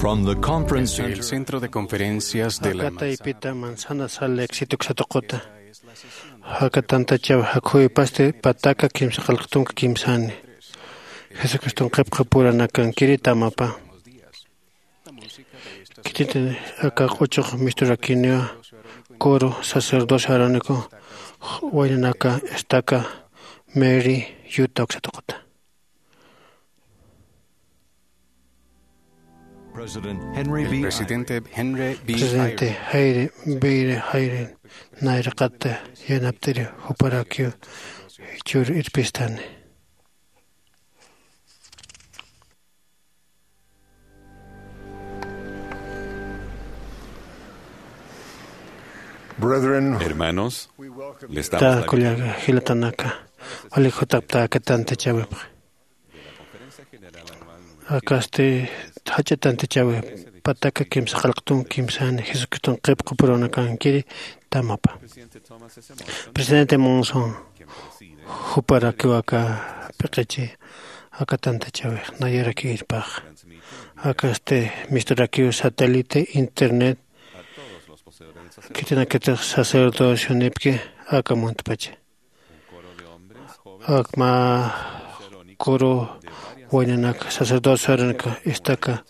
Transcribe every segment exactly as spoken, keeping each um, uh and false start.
From the conference Desde el center. Centro de Conferencias de la Akataypita Manzana Sal Éxito uksatuquta. Aka tantachaw jakhuwipasti pataka kimsa qillqtunka kimsani. Jesucriston qhipqapuranakan kiritamapa. Khitinti aka q'uchuq misturakiniwa, coro sacerdocio arónico, waynanaka estaca Mary Utah uksatuquta. President Henry El B. Presidente Henry B. Presidente Eyring. Hayre Beyre Hayre nayraqata yanapt'iri juparakiw jichhür irpistani. Brethren, hermanos, les damos la kullaga jilatanaka, wali jutapta aka tantachawipxa. Akasti jach'a tantachawi pataka kimsa qillqtun kimsani Jesucriston qhipqapurunakankiri tamapa. Presidente Monson juparakiw aka p'iqichi aka tantachawix nayarakïrpax. Akasti misturakiw satélite, internet, khitinakatix sacerdocionipki aka muntpacha. Akma coro waynanak sacerdocio arónico estaca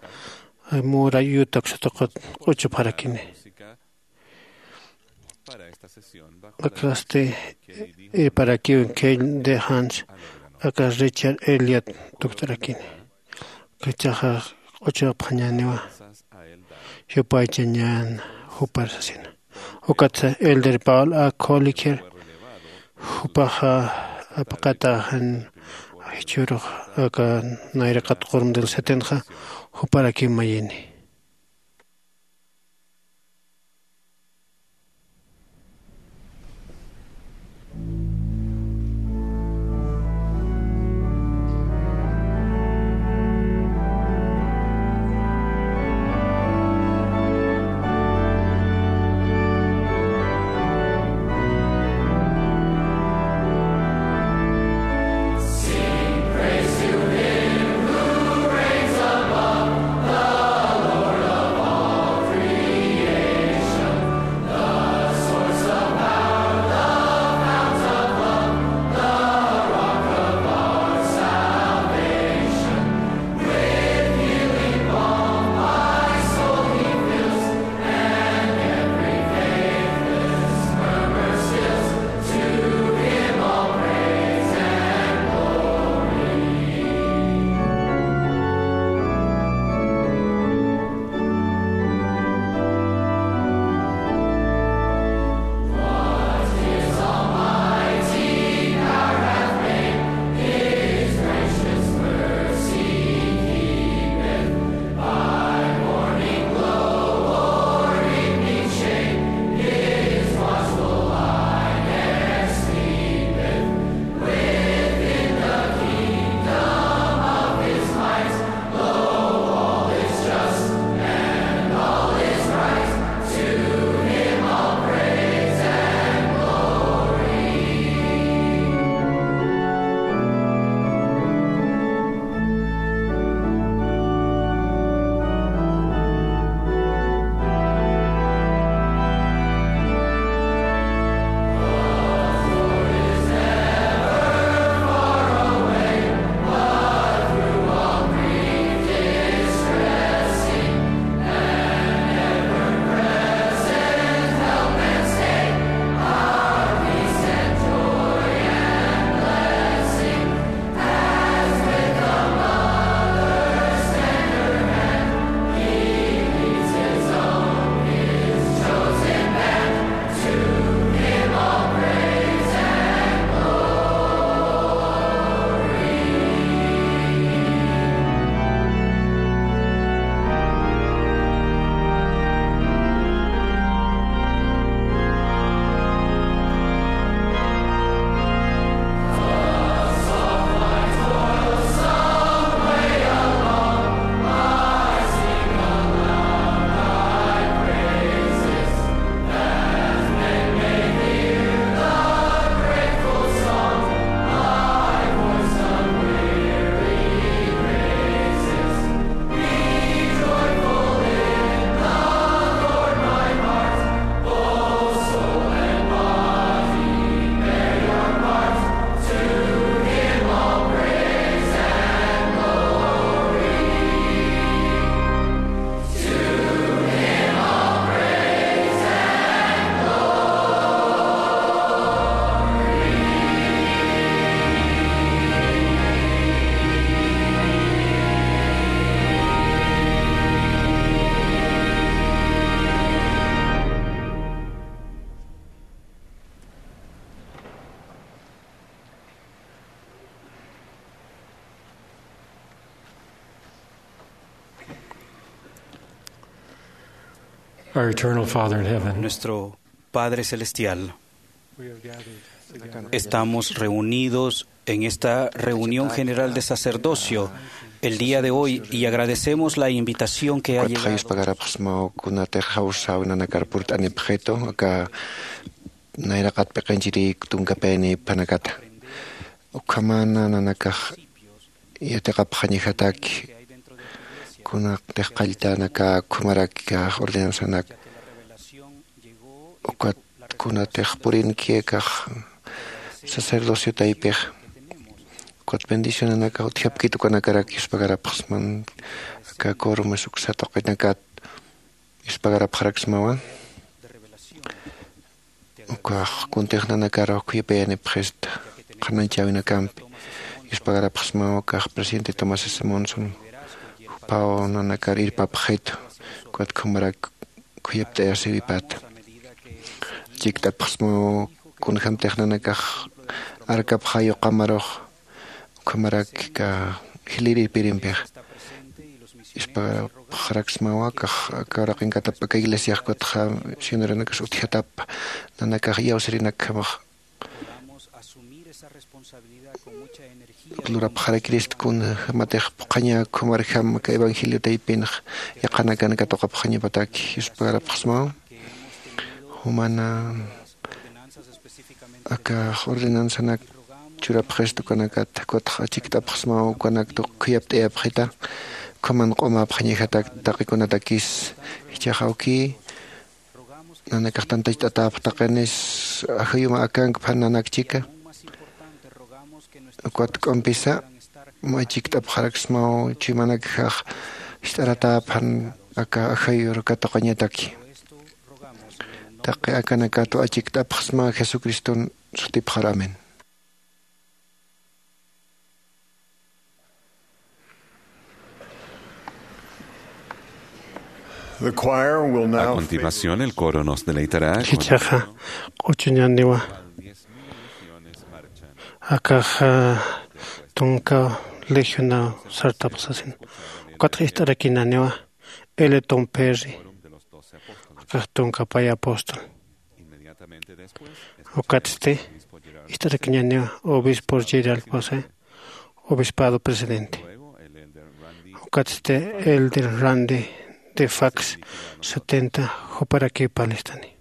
Mary Utah uksatuqat q'uchupxarakini. Akasti irparakiw Kay de Hans aka Richard Elliot tukt'arakini. Kachaxa q'uchupxañäniwa, yupaychañän jupar sasina. Ukatsa Elder Paul A. Collier, jupaxa apaqataxan jichhürux aka nayraqat qurmdil setenxa, juparakiw mayini. Our eternal Father in heaven. Nuestro Padre Celestial, estamos reunidos en esta reunión general de sacerdocio el día de hoy y agradecemos la invitación que ha llegado. Ukat jayuspagarapxsmaw kunatix jawsäwinanakar purt'anipxitu aka nayraqat p'iqinchiri tunkapayani phanakata. Ukhamana nanakax yatiqapxañajataki kunatix qalltanaka ukhamaraki ordenanzanak ukat kunatix purinki akax sacerdocio taypix ukat bendicionanakax utjapkit ukanakarak yuspagarapxsman aka quorumes uksa tuqinakat yuspagarapxaraksmawa. Ukax kuntix nanakar khuyapayanipxista qhanañchäwinakampi yuspagarapxsmaw ukax presidente Thomas S Monson jupaw nanakar irpapxitu ukat ukhamarak khuyapt'ayasiwipata. Chikt'apxsmaw kunjämtix nanakax arkapxay uqamarux ukhamarak jilïr irpirimpixa yuspagarapxaraksmawa akax aka uraqinkatap aka iglesiax ukatxa misioneranakas utjatap nanakax iyawsirinak ukhamax lurapxarakirist kunjämatix phuqhaña ukhamarjam aka evangelio taypinx yaqhanakan katuqapxañapataki yuspagarapxsmaw. Jumana aka ordenanzanak churapxist ukanakat ukatxa achikt'apxsmaw ukanak tuq khuyapt'ayapxita ukhaman q'umäpxañajatak taqikunatakis jichhax awki nanakax tantacht'atäpx taqinis ajayuma akank phan nanak chika ukat k'umpisa mä chikt'apxaraksmaw chuymanakjax jist'aratäpxan aka ajayur katuqañataki. Taqi akanakatwa achikt'apxsma Jesucriston sutipxar. Amén. The choir will now. A continuación, el coro nos deleitará con Jichhaxa q'uchuñaniwa akaxa tunka legionaw sartapxsasin. Ukatxa ist'arakinaniwa Eliot Perry, akax tunka pay apóstol. Ukatsti ist'arakiñaniwa obispo Gerald José, obispado presidente. Ukatsti elder Randy de Fax setenta, juparakiw parlistani.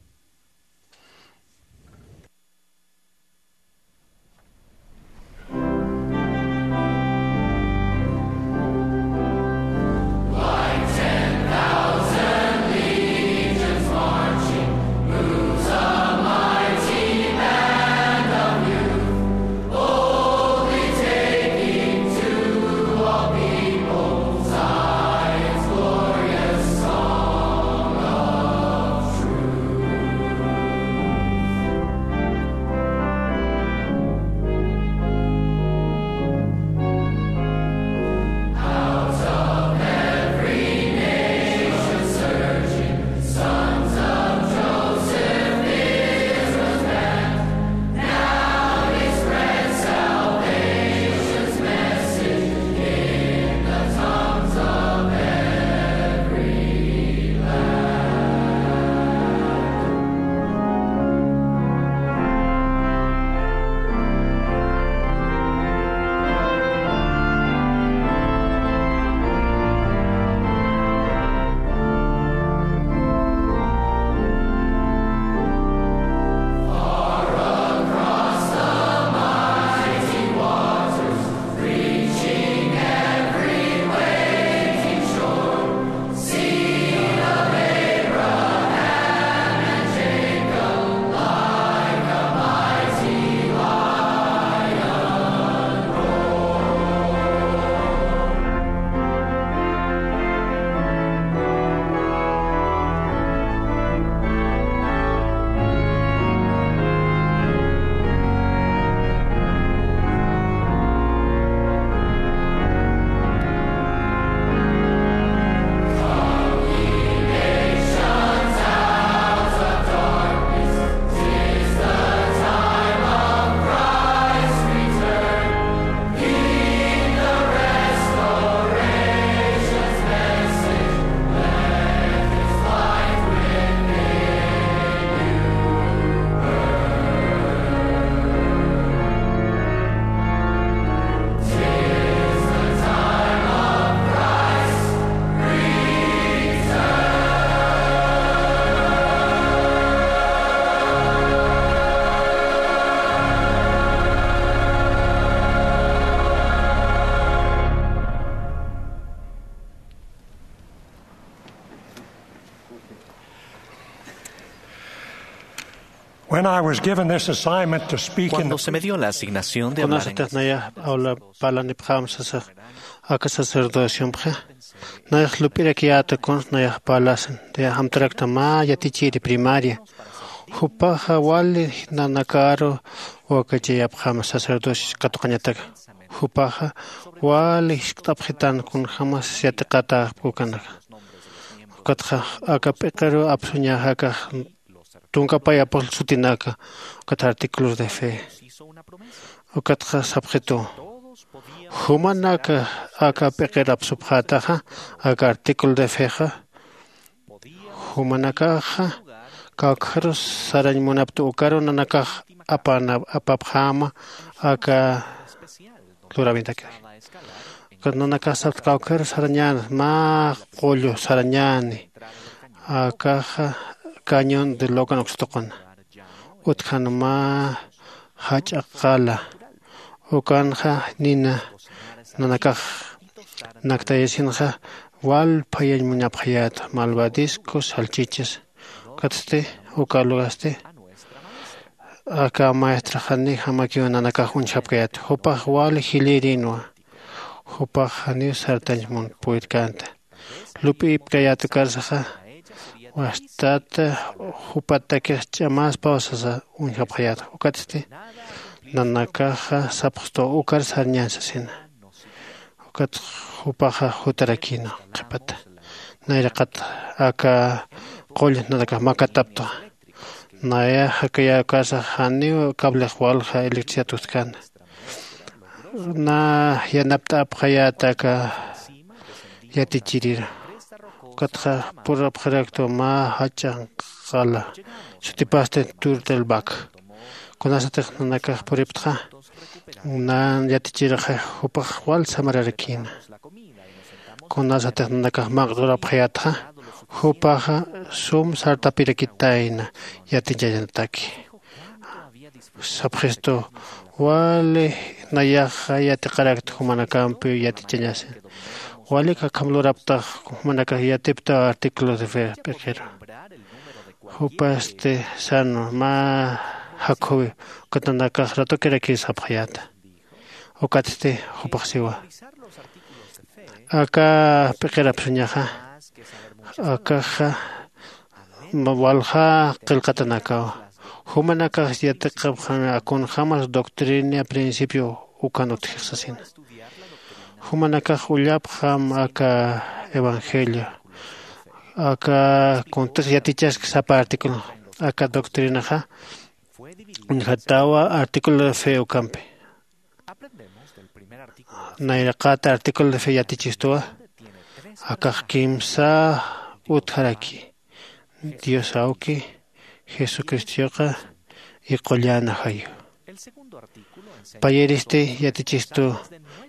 When I was given this assignment to speak in the Cuando se me dio la asignación de hablar en Kunasatix nayax awla parlanipxäm sasax aka sacerdociomxa, nayax lup'irakiyäta kuns nayax parlasin, nayax amtaraktwa mä yatichiri primaria. Jupaxa wali nanakaru wakachayapxäma sacerdocio katuqañataka. Jupaxa wali jiskt'apxitan kunjämas yatiqatäpxi ukanaka. Ukatxa aka p'iqiru apsuñaxa akax tunkapayapxi sutinaka, ukat artículos de fe. Ukatxa sapxitu, jumanaka aka p'iqir apsupxätaxa, aka artículo de fexa, jumanakaxa kawkharus sarañ munaptu ukaru nanakax apana apapxäma aka luräwintakix. Ukat nanakax sapxi kawkharus sarañäni, mä qullu sarañäni, akaxa cañón de Logan ukstuquna. Utjan mä jach'a qala. Ukanxa nina nanakax naktayasinxa wal phayañ munapxayäta, malvadiscos, salchichas. Ukatsti uka lugasti aka maestraxani jamakiw nanakax uñjapkayäta. Jupax wal jilïrinwa. Jupax janiw sartañ mun purirkänta. Lup'ipkayät ukarsaxa, wastata jupatakix ch'amäspaw sasa uñjapxayät. Ukatsti nanakaxa sapxstu ukar sarñän sasina. Ukat jupaxa jutarakïna qhipata. Nayraqat aka qull nanakax makatapta. Nayax jakayä ukarsax janiw cablix walja electricidad utjkän. Na yanapt'apxayät aka yatichirira. Ukatxa purapxaraktwa mä jach'a qala, sutipasti Tour del Bac. Kunasatix nanakax puriptxa, nan yatichirxa jupax wal samararakïna. Kunasatix nanakax maqt'urapxayätxa, jupaxa sum sartapirakitayna yatichañataki. Sapxistu, wali nayaxa yatiqarakta jumanakampi yatichañasin. Walik akham luraptax jumanakax yatipta artículos de fe p'iqiru. Jupasti sano mä jakhuwi, ukat nanakax ratokirakï sapxayäta. Ukatsti jupax siwa. Aka p'iqir apsuñaxa, akaxa ma-, walja qillqatanakawa. Jumanakax yatiqapxam kunjämas doctrina principio ukan utjix sasina. Jumanakax ullapxam aka evangelio. Aka kuntix yatichaski sapa artículo. Aka doctrinaxa uñjatawa artículo de fe ukampi. Nayraqat artículo de fe yatichistuwa, akax kimsa utjaraki, Dios Awki, Jesucristoxa, y Qullan Ajayu. Payiristi yatichistu,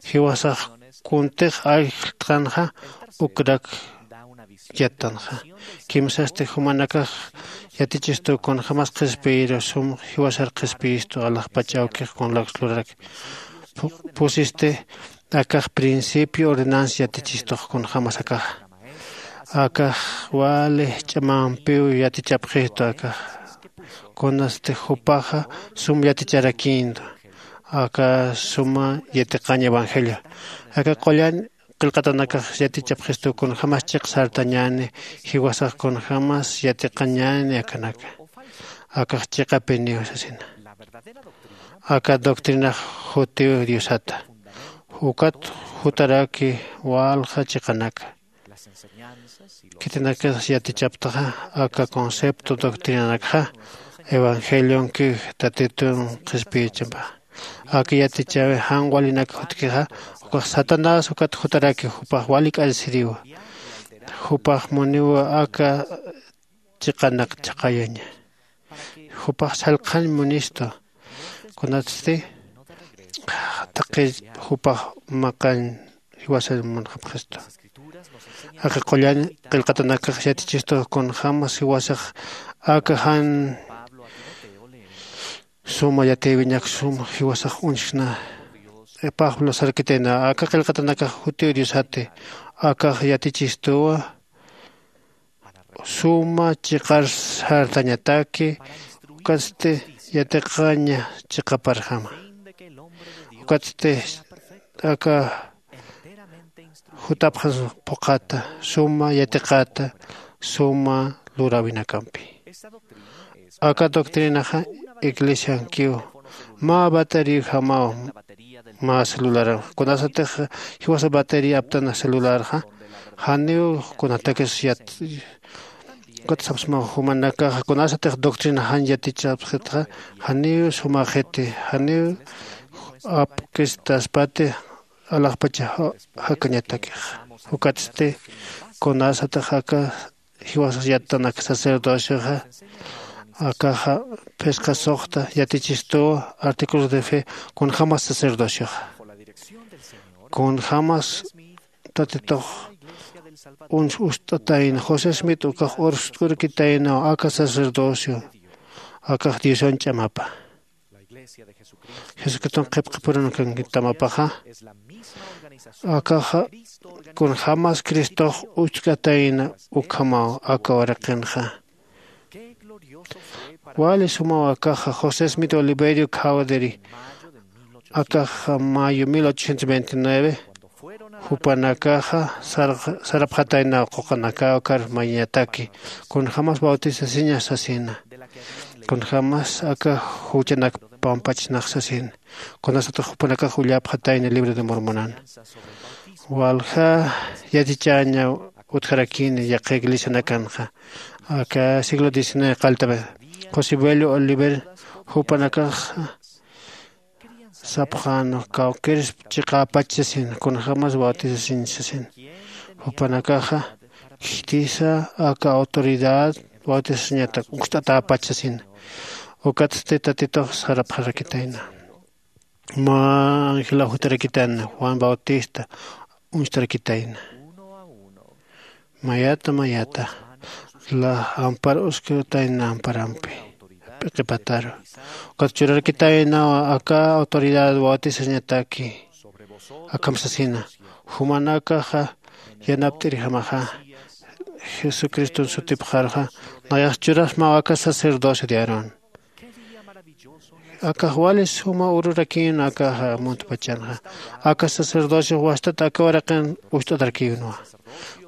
jiwasax kuntix ayllt'anxa ukrak yattanxa. Kimsasti jumanakax yatichistu kunjämas qhispiyiru sum jiwasar qhispiyistu alaxpach awkix kunlaks lurarak. Pu-, pusisti akax principio ordenanza yatichistux kunjämas akaxa. Akax wali ch'amampiw yatichapxistu akax. Kunasti jupaxa sum yaticharakïntu. Aka suma yatiqañ evangelio. Aka qullan qillqatanakax yatichapxistu kunjämas chiq sartañäni, jiwasax kunjämas yatiqañäni akanaka. Akax chiqapiniw sasina. Aka doctrinax jutiw Diosata. Ukat jutaraki walja chiqanaka. Khitinakas yatichaptaxa, aka concepto doctrinanakxa evangelionki Tatitun qhispiyichampa. Aka yatichawi jan walinak jutkixa, ukax Satanás ukat jutaraki jupax wali k'asiriwa. Jupax muniwa aka chiqanak chhaqayaña. Jupax sallqañ munistu. Kunatsti taqi jupax maqañ jiwasañ munxapxistu. Aka qullan qillqatanakax yatichistu kunjämas jiwasax aka jan suma yatiywiñak sum jiwasax uñjkna. Pablo sarkitayna, aka qillqatanakax jutiw Diosati, akax yatichistuwa suma chiqar sartañataki. Ukatsti yatiqaña chiqaparjama. Ukatsti aka jutapxan phuqhata suma yatiqata suma luräwinakampi. Aka doctrinaxa iglesiankiw mä bateriojamaw mä celularanxa kunasatix jiwasa batería aptana celularxa janiw kunatakis yat ukat sapsmaw jumanakaxa kunasatix doctrina jan yatichapxitxa janiw sumaxiti janiw apkistaspati alaxpacha jakañatakixa. Ukatsti kunasatix aka jiwasas yattanak sacerdocioxa akaxa phisqa suxta yatichistuwa artículos de fe kunjämas sacerdocioxa kunjämas tatitux uñst'atayna josé smit ukax urst'urkitaynaw aka sacerdocio akax diosan ch'amapa jesucriston qhipqipurunakankitamapaxa akaxa kunjämas cristox ucht'atayna ukhamaw aka waraqinxa. Wali sumaw akaxa josé smit oliverio cawderi akaxa mayo mil ochocientos veintinueve jupanakaxa sarapxataynaw quqanakäw kar mañataki kunjämas bautisasiña sasina kunjämas aka juchanak pampachnax sasina kunasatix jupanakax ullapxatayna libro de mormonan walja yatichäña utjarakini yaqha iglesianakanxa aka siglo diecinueve qalltapï josé bello oliver jupanakaxa sapxäna kawkïrsp chiqäpach sasin kunjämas bautisasiñ sasin jupanakaxa khitisa aka autoridad bautisasiñatak uñst'atäpach sasin ukatsti tatitux sarapxarakitayna mä angelaw jutarakitayna juan bautista uñstarakitayna mayata mayata la ampar uskatayna amparampi p'iqipataru ukat churarakitaynawa aka autoridad bautisañataki akham sasina jumanakaxa yanapt'irjamaxa jesucriston sutipxarxa nayax churasmaw aka sacerdocio de aarón akax wali suma ururakïn akaxa muntpachanxa aka sacerdocio wastat aka waraqin ucht'atarakïnwa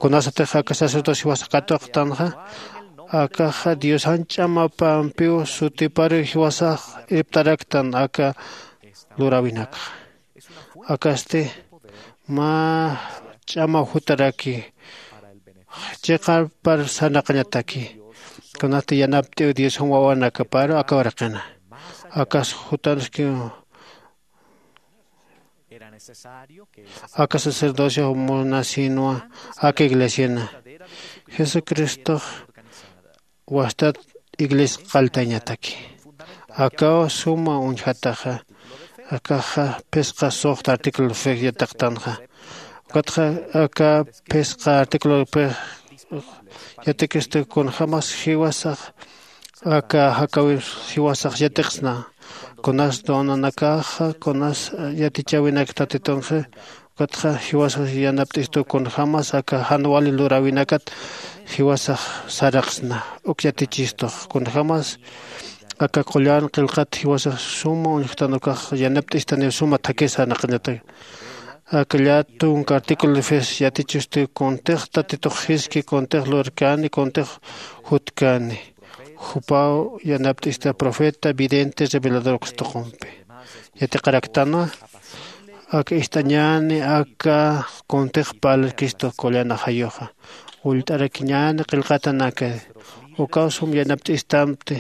kunasatix aka sacerdocio jiwasa katuqtanxa akaxa diosan ch'amapampiw sutiparu jiwasax irptaraktan aka luräwinakxa akasti mä ch'amaw jutaraki chiqapar sarnaqañataki kunasti yanapt'iw diosan wawanakaparu aka waraqina akas jutanskiw aka sacerdocio munasinwa aka iglesiana jesucristox wastat iglesia qalltañataki akaw suma uñjataxa akaxa phisqa suxta artículo fe yatiqtanxa ukatxa aka phisqa artículo fe yatikistu kunjämas jiwasax aka jakäwir jiwasax yatiqsna kunas donanakaxa kunas yatichäwinak tatitunxa ukatxa jiwasax yanapt'istu kunjämas aka jan wali luräwinakat jiwasax saraqsna uk yatichistux kunjämas aka qullan qillqat jiwasax suma uñjtan ukax yanapt'istaniw suma thakis sarnaqañatak aka llätunka artículo de fe yatichistu kuntix tatitux jiski kuntix lurkani kuntix jutkani jupaw yanapt'ista profeta vidente revelador ukstuqumpi yatiqaraktanwa aka ist'añäni aka kuntix parlkistu qullan ajayuxa ullt'arakiñäni qillqatanaka ukaw sum yanapt'istamti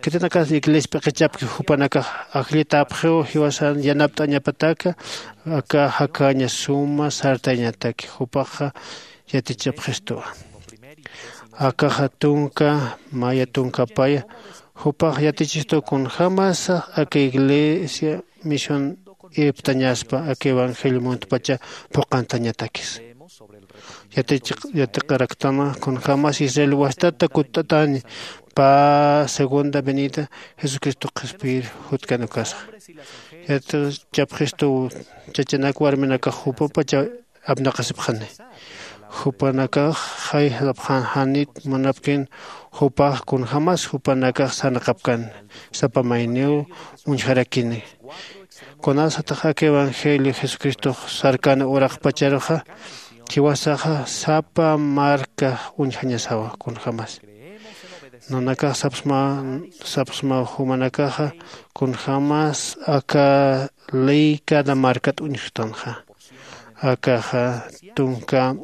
khitinakas iglesia p'iqichapki jupanakax ajllitäpxiw jiwasan yanapt'añapataka aka jakäña suma sartañataki jupaxa yatichapxistuwa akaxa tunka maya tunkapaya jupax yatichistuw kunjämasa aka iglesia misión irptañaspa aka evangelio muntpacha phuqantañatakis yatiqaraktama kunjämas israel wastata kutt'atäni pä segunda venida jesucristo qhispiyir jutkan ukasa yatichapxistuw chachanak warminakax jupapacha apnaqasipxani Jupanakax jay sapxan janit munapkin jupax kunjämas jupanakax sarnaqapkan sapa mayniw uñjarakini. Kunasatix aka evangelio jesucristox sarkana uraqpacharuxa jiwasaxa sapa marka uñjañasawa kunjämas. Nanakax sapsma sapsmaw jumanakaxa kunjämas aka ley cada markat uñjtanxa. Akaxa tunka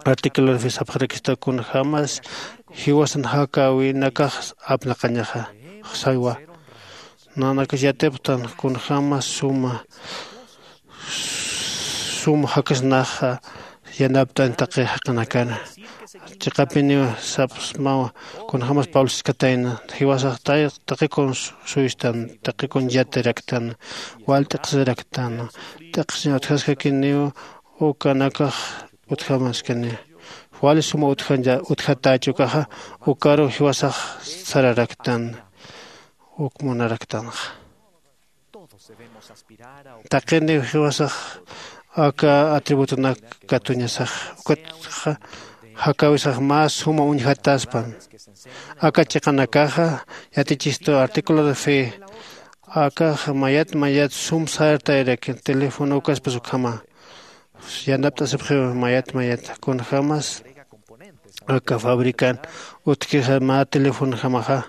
artículo de fe sapxarakista kunjämas jiwasan jakäwinakax apnaqañaxa. Saywa nanakax yatipxtan kunjämas suma sum jakasnaxa yanapt'an taqi jaqinakana. Chiqapiniw sapsmawa kunjämas pablo siskatayna jiwasax taqikun suystan taqikun yatiraktan wal t'iqsiraktan t'iqsiñ utjaskakiniw ukanakax utjamaskani. Wali suma utjatäch ukaxa ukaruw jiwasax sararaktan uk munaraktanxa. Taqiniw jiwasax aka atributunak katuñasax ukatxa jakäwisax mä suma uñjataspan. Aka chiqanakaxa yatichistu artículo de fe akaxa mayat mayat sum sartayrakin teléfono ukaspas ukhama yanapt'asipxiw mayat mayat kunjämas aka fabrican utjkixa mä telefonojamaxa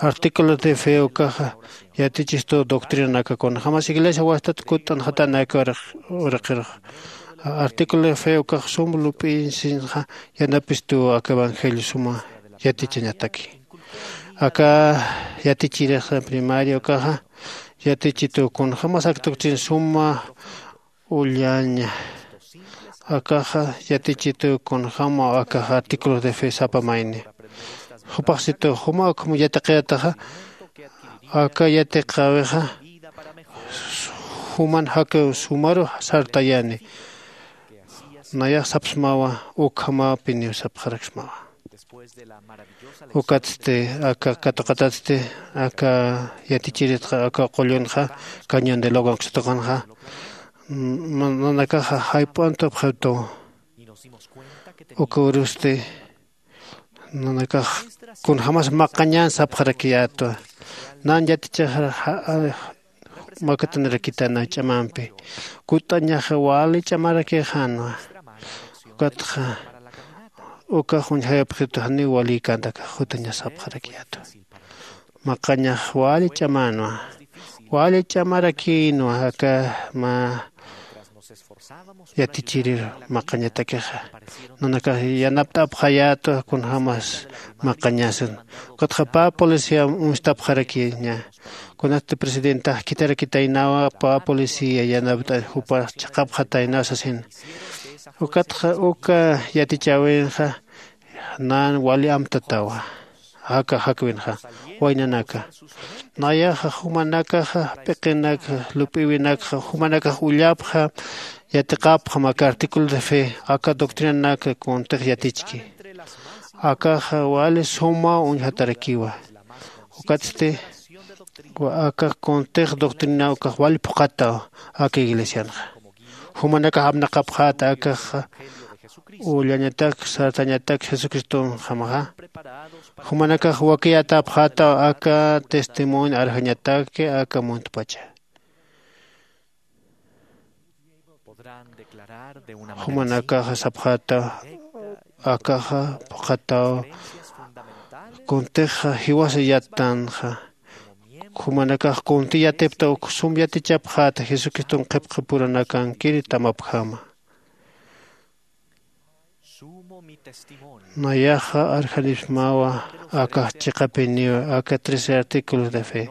artículo de fe ukaxa yatichistu doctrinanaka kunjämas iglesia wastat kutt'anxatanaka uraqirux artículo de fe ukax sum lup'insinxa yanapistuw aka evangelio suma yatichañataki. Aka yatichirixa primaria ukaxa yatichituw kunjämas aka doctrina suma ullaña akaxa yatichituw kunjämaw akaxa artículos de fe sapa mayni. Jupaxsituw juma ukham yatiqayataxa aka yatiqäwixa juman jakiw sumaru sartayani. Nayax sapxsmawa ukhamapiniw sapxaraksmawa. Ukatsti aka katuqatatsti aka yatichiritxa aka qullunxa cañón de logan ksatuqanxa nanakaxa jayp'untupxituw. Uka urusti nanakax kunjämas maqañan sapxarakiyätwa. Nan yatichaxar makatanirakitana ch'amampi kutt'añaxa wali ch'amarakixänwa. Ukatxa ukax uñjayapxitu janiw waliykänta akax jutañas sapxarakiyätwa. Maqañax wali ch'amänwa wali ch'amarakïnwa aka mä yatichirir maqañatakixa. Nanakax yanapt'apxayätwa kunjämas maqañasin. Ukatxa pä policía uñstapxarakiña kunasti presidentax khitharakitaynawa pä policía yanapt'an jupax chiqapxataynaw sasin. Ukatxa uka yatichäwinxa nan wali amtatawa aka jakwinxa waynanaka. Nayaxa jumanakaxa p'iqinakxa lup'iwinakxa jumanakax ullapxam yatiqapxam aka artículo de fe aka doctrinanak kuntix yatichki. Akaxa wali sumaw uñjatarakiwa. Ukatsti aka kuntix doctrina ukax wali phuqhataw aka iglesianxa. Jumanakax apnaqapxäta akaxa ullañatak sartañatak jesucristonjamaxa. Jumanakax wakiyatapxätaw aka testimonio arjañataki aka muntpacha. Jumanakaxa sapxätaw akaxa phuqhataw kuntixa jiwasa yattanxa. Jumanakax kunti yatipta uk sum yatichapxäta jesucriston qhipqipurunakankiri tamapjama. Nayaxa arjanipsmawa akax chiqapiniw aka trece artículos de fe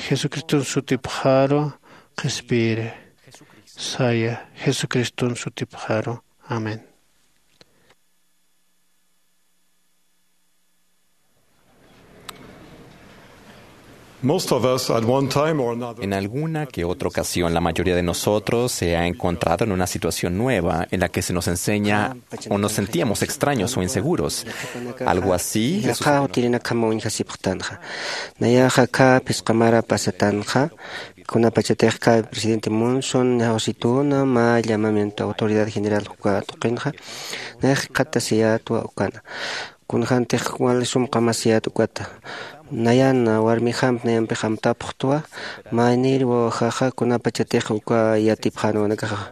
jesucriston sutipxaru qhispiyiri. Saya jesucriston sutipxaru. Amén. Most of us, at one time or another, En alguna que otra ocasión, la mayoría de nosotros se ha encontrado en una situación nueva en la que se nos enseña o nos sentíamos extraños o inseguros. Algo así, Jesús Yaqha utirinak jama uñjasipxtanxa. Nayaxa aka phisqa mara pasatanxa, kunapachatix aka presidente Monson ñawsituna mä llamamiento autoridad general uka tuqinxa, nayax jikxatasiyätwa ukana. Kunjäntix wali sum qamasiyät ukata. Nayan warmijamp nayampix amtapxtwa, maynir wawajaxa kunapachatix uka yatipxänwa nakaxa.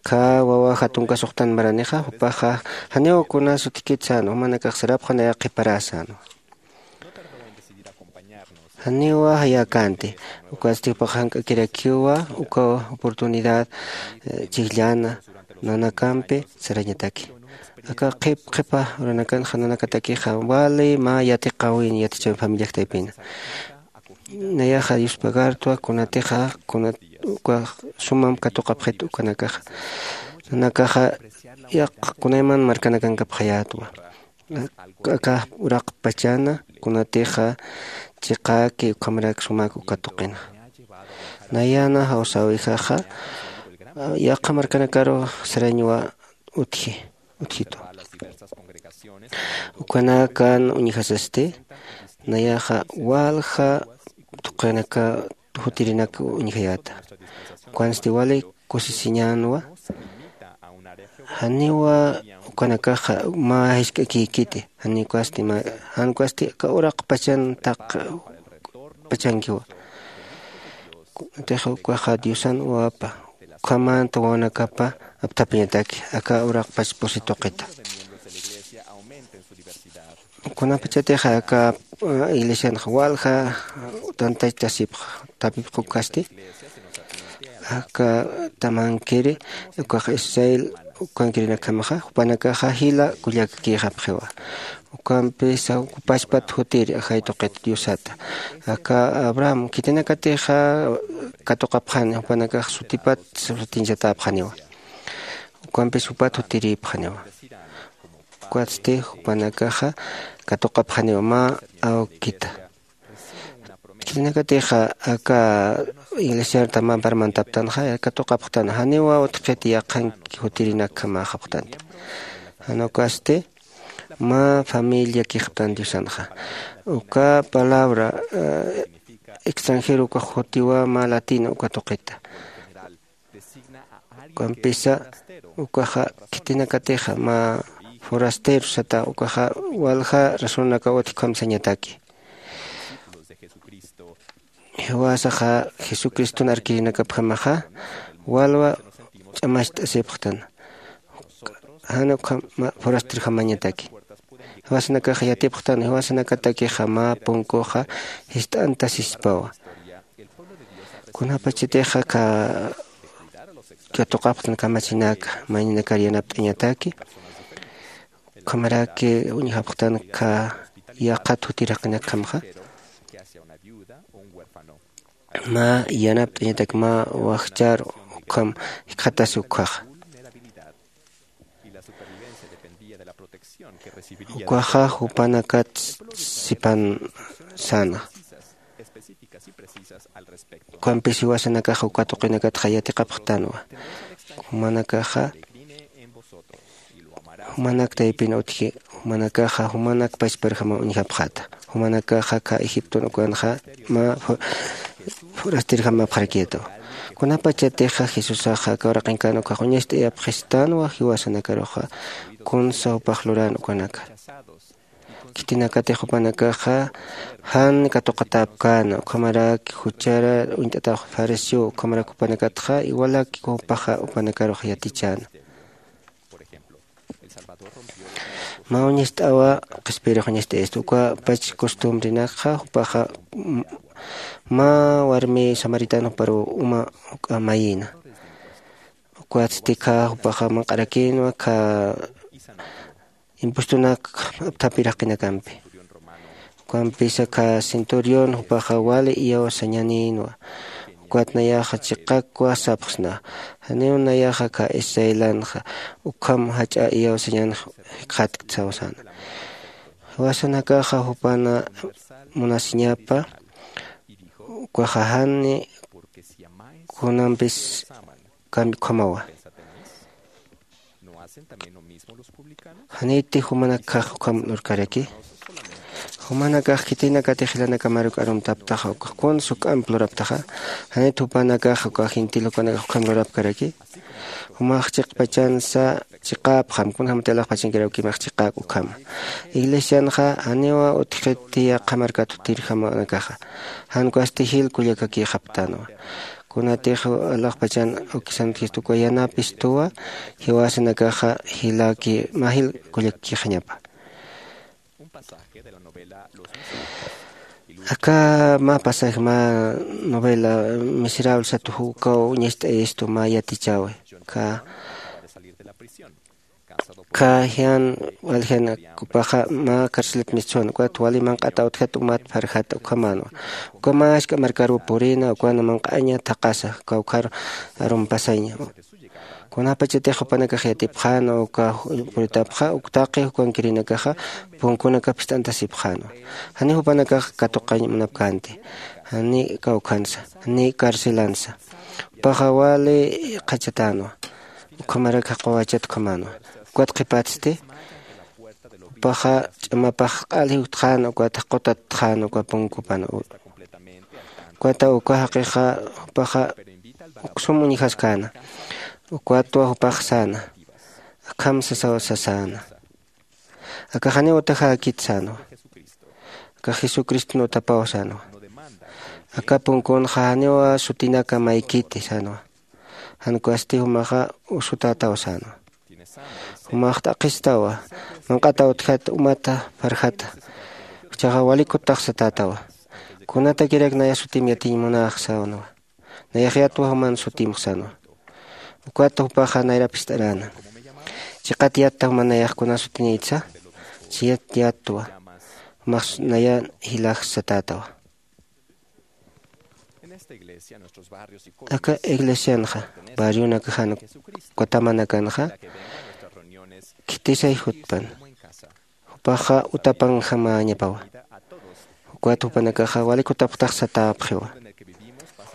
Aka wawaja tunkasuxtan maranixa, jupaxa janiw kunas utjkit sänwa, jumanakax sarapxan nayax qhiparäsänwa. Janiwa jayäkänti, ukatsti jupax jank'akirakiwa uka oportunidad, eh, chhijllana nanakampi sarañataki. Aka qhip qhipa uranakanxa nanakatakixa wali mä yatiqäwin yatichäwin familiak taypina. Nayaxa Diospagartwa kunatixa, kuna, uka sumam katuqapxit ukanakaxa. Nanakaxa yaq kunayman markanakankapxayätwa. Aka uraqpachana kunatixa chiqäki ukhamrak sumak uka tuqinxa. Nayana jawsäwijaxa, yaqha markanakaru sarañwa utji, utjitwa. Ukanakan uñjasasti, nayaxa walja tuqinaka jutirinak uñjayäta. Ukansti wali kusisiñänwa. Janiwa ukanakaxa mä jisk'akïkiti, janiw ukasti mä, jan ukasti aka uraqpachan taqpachankiwa. Kunatix ukaxa Diosan wawapa, ukhamanta wawanakapa apthapiñataki aka uraqpach pusi tuqita. Kunapachatix aka, eh, iglesianxa walja, eh, tantachasipxa, thapipxa ukasti, aka tamankiri, ukax Israel ukankirinakjamaxa, jupanakaxa jila kullakakïxapxiwa. Ukampisa uka pachpat jutiri ajay tuqit Diosata. Aka Abraham khitinakatixa katuqapxani, jupanakax sutipat sutiñchatäpxaniwa. Ukampis jupat jutirïpxaniwa. Ukatsti jupanakaxa katuqapxaniwa mä awkita. Khitinakatixa aka iglesiar tamampar mantaptanxa katuqapxtan, janiwa utjkit yaqhanki jutirinakjamaxapxtanti. Jan ukasti mä familiakïxaptan Diosanxa. Uka palabra, eh, extranjero ukax jutiwa mä latina uka tuqita. Ukampisa ukaxa khitinakatixa mä forastero sata, ukaxa walja razonaka utji ukham sañataki. Jiwasaxa Jesucriston arkirinakapjamaxa walwa ch'amacht'asipxtan. Jan ukham forasterjamañataki. Jiwasanakaxa yatipxtan, jiwasanakatakixa mä punkuxa jist'antasispawa. Kunapachatixa ka, katuqapxtan kamachinaka, mayninakar yanapt'añataki, ukhamaraki uñjapxtan ka yaqhat jutirjaqinakjamxa, mä yanapt'añatak mä wajchar ukham jikxatasi ukkhaxa. Ukaxa jupanakat sipan sana. Ukampis jiwasanakaxa uka tuqinakatxa yatiqapxtanwa. Jumanakaxa, jumanak taypin utji, jumanakaxa, jumanak pachparjama uñjapxata. Jumanakaxa ka Egipton ukanxa mä fu-, forastirjamapxarakïtawa. Kunapachatixa Jesusaxa aka uraqinkan ukax uñacht'ayapxistanwa jiwasanakaruxa, kunsa jupax luran ukanaka. Khitinakatix jupanakaxa jan katuqatäpkäna, ukhamaraki juchara uñt'atax fariseo, ukhamarak jupanakatxa igualaki jupaxa jupanakarux yatichäna. Mä uñacht'awa qhispiyirux uñacht'ayasta, uka pach costumbrenakxa jupaxa, m-, mä warmi samaritana juparu uma juk'a mayïna. Ukatsti kha jupaxa manq'arakïnwa kha impuestonak apthapiraqinakampi. Ukampisa kha centurión jupaxa wali iyaw sañänïnwa. Ukat nayaxa chiqakwa sapxsna. Janiw nayaxa kha israelanxa ukham jach'a iyaw sañän jikxatkt sawsäna. Jiwasanakaxa jupana munasiñapa, Ukaxa jani kunampis kambi ukhamawa. ¿Janiti jumanakkax ukham lurkaraki? Jumanakax khitinakatix jilanakamaruk arumtaptaxa ukax kunsa juk'amp luraptaxa. ¿Janit jupanakax uka gentil jupanakax ukham lurapkaraki? Jumax chiqpachansa chiqäpxam, kunjämati alaxpachankirawkimax chiqäk ukhama. Iglesianxa janiwa utjkiti yaqha markat jutirjamanakaxa, jan ukasti jil kullakakïxapktänwa. Kunatix alaxpachan awkisan utjistu uka yanapistuwa, jiwasanakaxa jilaki mä jil kullakakïxañapa. Aka mä pasaje mä novela miserable sat ukaw uñacht'ayistu mä yatichäwi. Ka ka jian waljianak jupaxa mä carcelat mistsuwan ukat wali manq'ata utjat umat pharjat ukhamänwa. Uka mä ask'a markaruw purïna ukana manq'aña thaqhasa kawkhar arumpasaña. Kunapachatix jupanakax yatipxänwa uka puritapxa uk taqi jukankirinakaxa punkunakap jist'antasipxänwa. Janiw jupanakax katuqañ munapkänti, janiw kawkhansa, janiw carcelansa. Jupaxa wali qhachatänwa, ukhamarak jaqwawachat ukhamänwa. Ukat qhipatsti jupaxa ch'amapax q'al jiwtxän ukat jaq'utatxän uka punkupan. Ukata uka jaqixa jupaxa uksum uñjaskäna. Ukatwa jupax säna, akham sasaw sasäna, aka janiw utajäkit sänwa. Aka jesucriston utapaw sänwa. Aka punkunxa janiwa sutinaka maykiti sänwa. Jan ukasti jumaxa usutätaw sänwa. Jumax t'aqhistawa, manq'ata utjat umata pharjata. Jichhaxa wali kututax satätawa, kunatakirak naya sutim yatiñ munäx sänwa. Nayax yatwa juman sutimx sänwa. Ukat jupaxa nayrap jist'aräna, chiqat yatta juman nayax kuna sutinïtsa. Chiyat yatwa, jumax nayan jilax satätawa. Aka iglesianxa barrionakax jan ukatamanakanxa khitisay jutpan. Jupaxa utapanjamäñapawa. Ukat jupanakaxa wali kutapxtax satäpxiwa,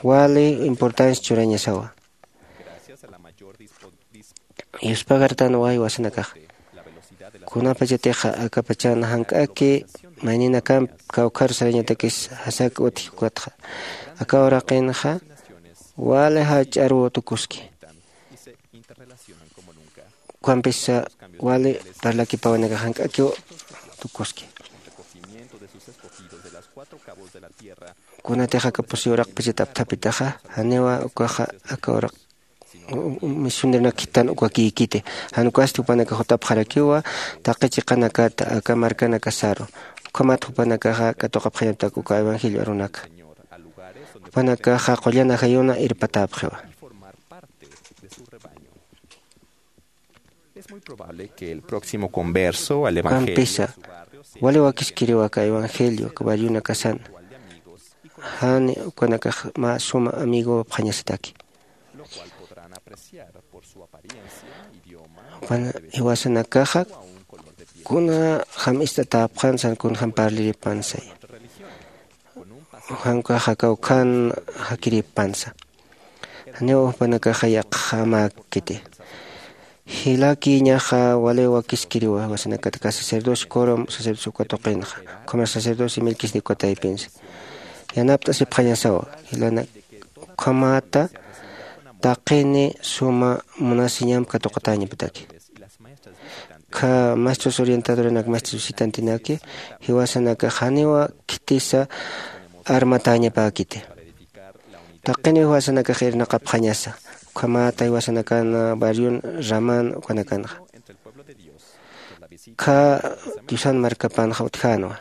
wali importancia churañasawa. Yuspagartanwa jiwasanakaxa. Kunapachatixa akapachan jank'aki mayninakamp kawkhar sarañatakis jasak utji ukatxa, aka uraqinxa wali jach'aruw tukuski. Ukhampisa wali parlakipäwinakax jank'akiw tukuski. Kunatix aka pusi uraqpachat apthapitaxa, janiwa ukaxa aka uraq misioneronak khitan ukakïkiti. Jan ukasti jupanakax jutapxarakiwa taqi chiqanakata aka markanakasaru. Ukhamat jupanakaxa katuqapxañaptak uka evangelio arunaka. Jupanakaxa qullan ajayuna irpatäpxiwa. Ukampisa wali wakiskiriwa aka evangelio aka barrionakasan. Jan ukanakax mä suma amigopxañasataki. Jupan jiwasanakaxa kuna jam ist'atäpxan san kunjam parliripan saya. Jan ukaxa kawkhan jakiripansa. Janiw jupanakaxa yaqhamäkiti. Jilakïñaxa wali wakiskiriwa jiwasanakat aka sacerdocio corom sacerdocio uka tuqinxa, ukhamar sacerdocio melquisedec uka taypinsa. Yanapt'asipxañasawa jilanak, ukhamata taqini suma munasiñamp katuqatäñapataki. Kha maestros orientadoranak maestros visitantinaki jiwasanakax janiwa khitisa armatäñapäkiti. Taqiniw jiwasanakax irnaqapxañasa, ukhamata jiwasanakan barrion raman ukanakanxa. Kha diosan markapanxa utjänwa.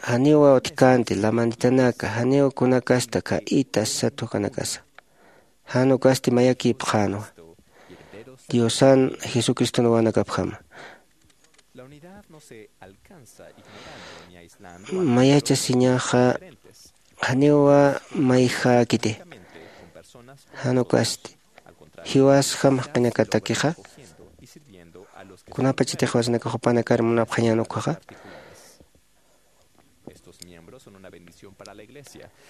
Janiwa utjkänti lamanitanaka, janiw kunakasta kha itas sat ukanakasa. Jan ukasti mayakïpxänwa diosan jesucriston wawanakapjama. Mayachasiñaxa janiwa mayjäkiti. Jan ukasti jiwasjam jaqinakatakixa kunapachatix jiwasanakax jupanakar munapxañän ukhaxa.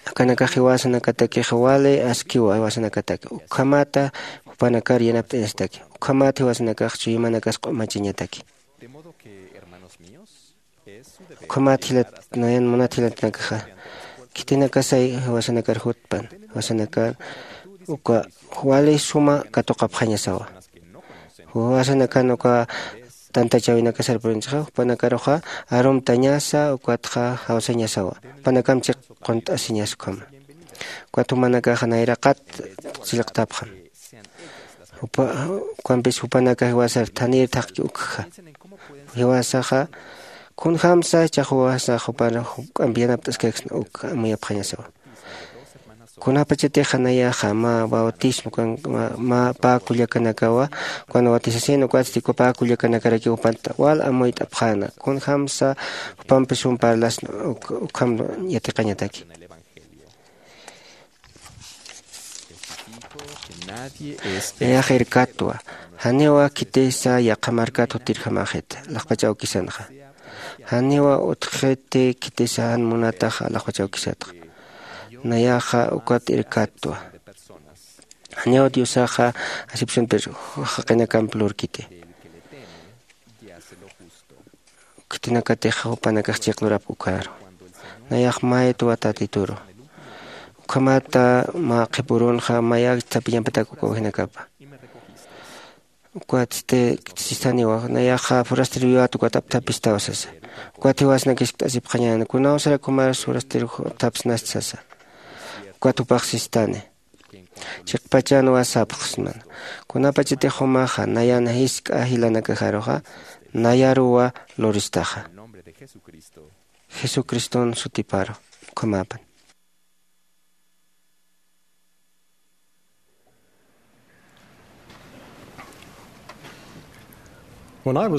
Akanakax jiwasanakatakixa wali askiwa jiwasanakataki ukhamata jupanakar yanapt'añastaki. Ukhamata jiwasanakax chuymanakas q'umachañataki. Ukhamat jilat nayan munat jilatanakaxa khitinakasay jiwasanakar jutpan jiwasanakar uka wali suma katuqapxañasawa. Jiwasanakan uka tantachawinakasar purinchxa jupanakaruxa arumtañasa ukatxa jawsañasawa. Jupanakam chiq qunt'asiñas ukhama. Ukat jumanakaxa nayraqat chillqtapxam. Ukampis jupanakax jiwasar thanir thaqki ukja jiwasaxa kunjämsa chaxwasa jupar juk'amp yanapt'askaksna uk amuyapxañasawa. Kunapachatixa nayaxa mä bautismo kan mä pä kullakanakawa. Kuna bautisasin ukatsti uka pä kullakanakarakiw jupanta wal amuyt'apxäna kunjämsa jupampis jum parlasna ukham yatiqañataki. Nayax irkatwa janiwa khitisa yaqha markat jutirjamaxit laqpach awkisanxa. Janiwa utjxiti khitisa jan munataxa laqpach awkisatxa. Nayaxa ukat irkatwa janiw diosaxa acepcionpir jaqinakamp lurkiti. Khitinakatix jupanakax chiqlurapk ukaru nayax maytwa tatituru. Ukhamata mä qhipürunxa mayak thapiñapatak uka awajinakapa. Ukat sistaniwa nayaxa forasteroyat ukat apthapistaw sasa. Ukat jiwasnak jiskt'asipxañäni kunawsarak jumaras forasterox apthapsnasti sasa. Ukat jupax sistani chiqpachanwa sapxsman. Kunapachatix jumaxa nayan jisk'a jilanakajaruxa nayaruwa luristaxa. Jesucriston sutiparu ukhamapan. Cuando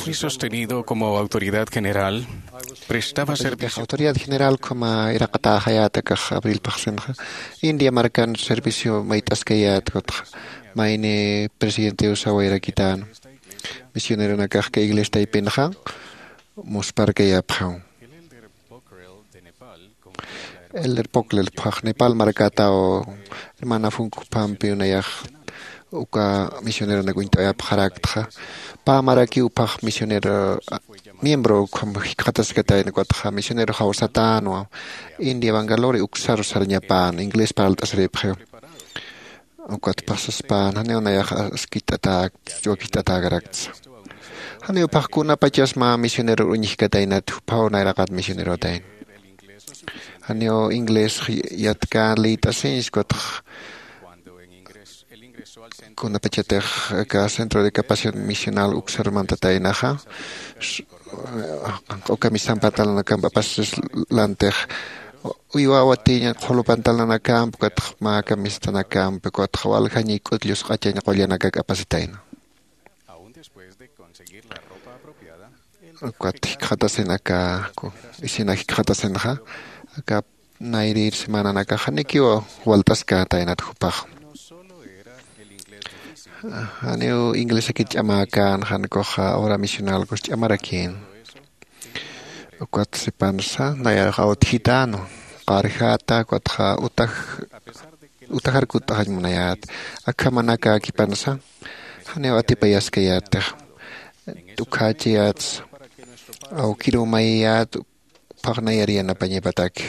fui sostenido como autoridad general, prestaba servicio. Autoridad general ukhama iraqatäxayäta akax abril phaxsinxa india markan servicio mayt'askayät kutxa mayni presidentew sawayrakitäna. Misioneronakax ka iglesia taypinxa musparkayapxam. Elder poklel phax nepal markataw hermana funkuphampi unayax uka misioneronak uñt'ayapxaraktxa. Pä marakiw phax misionero miembro ukham jikxataskatayna ukatxa misionero jawsatänwa india bangalore uksaru sarñapän inglés parlt'asiripxiw. Ukat pasaspan janiw nayax askit'atäkta wakicht'atäkarakta. Janiw phaxkunapachas mä misionero uñjkataynat juphaw nayraqat misionerotayna. Janiw inglés yatkän liyt'asiñs ukatx kunapachatix aka centro de capacidad misional uksar mantataynaxa. Q'uka misan pantalonakam apasisas lantix uywaw atiña qhulu pantalonakam ukatx mä camisetanakampi ukatx waljañiy k'utllusq'achañ qullanakak apasitayna. Ukat jikxatasin aka isina jikxatasinxa aka nayrir semananakax janikiw walt'askätaynat jupax. Janiw inglesakit ch'amäkän janikuxa obra misional kus ch'amarakïn. Ukat sipansa nayarux awtjitänu qarjäta ukatxa utajar kutt'axañ munayät. Akhamanak akipansa janiw atipayaskayätix t'ukhächayätsa awkiruw mayiyät. Phaxna yari yanapañapataki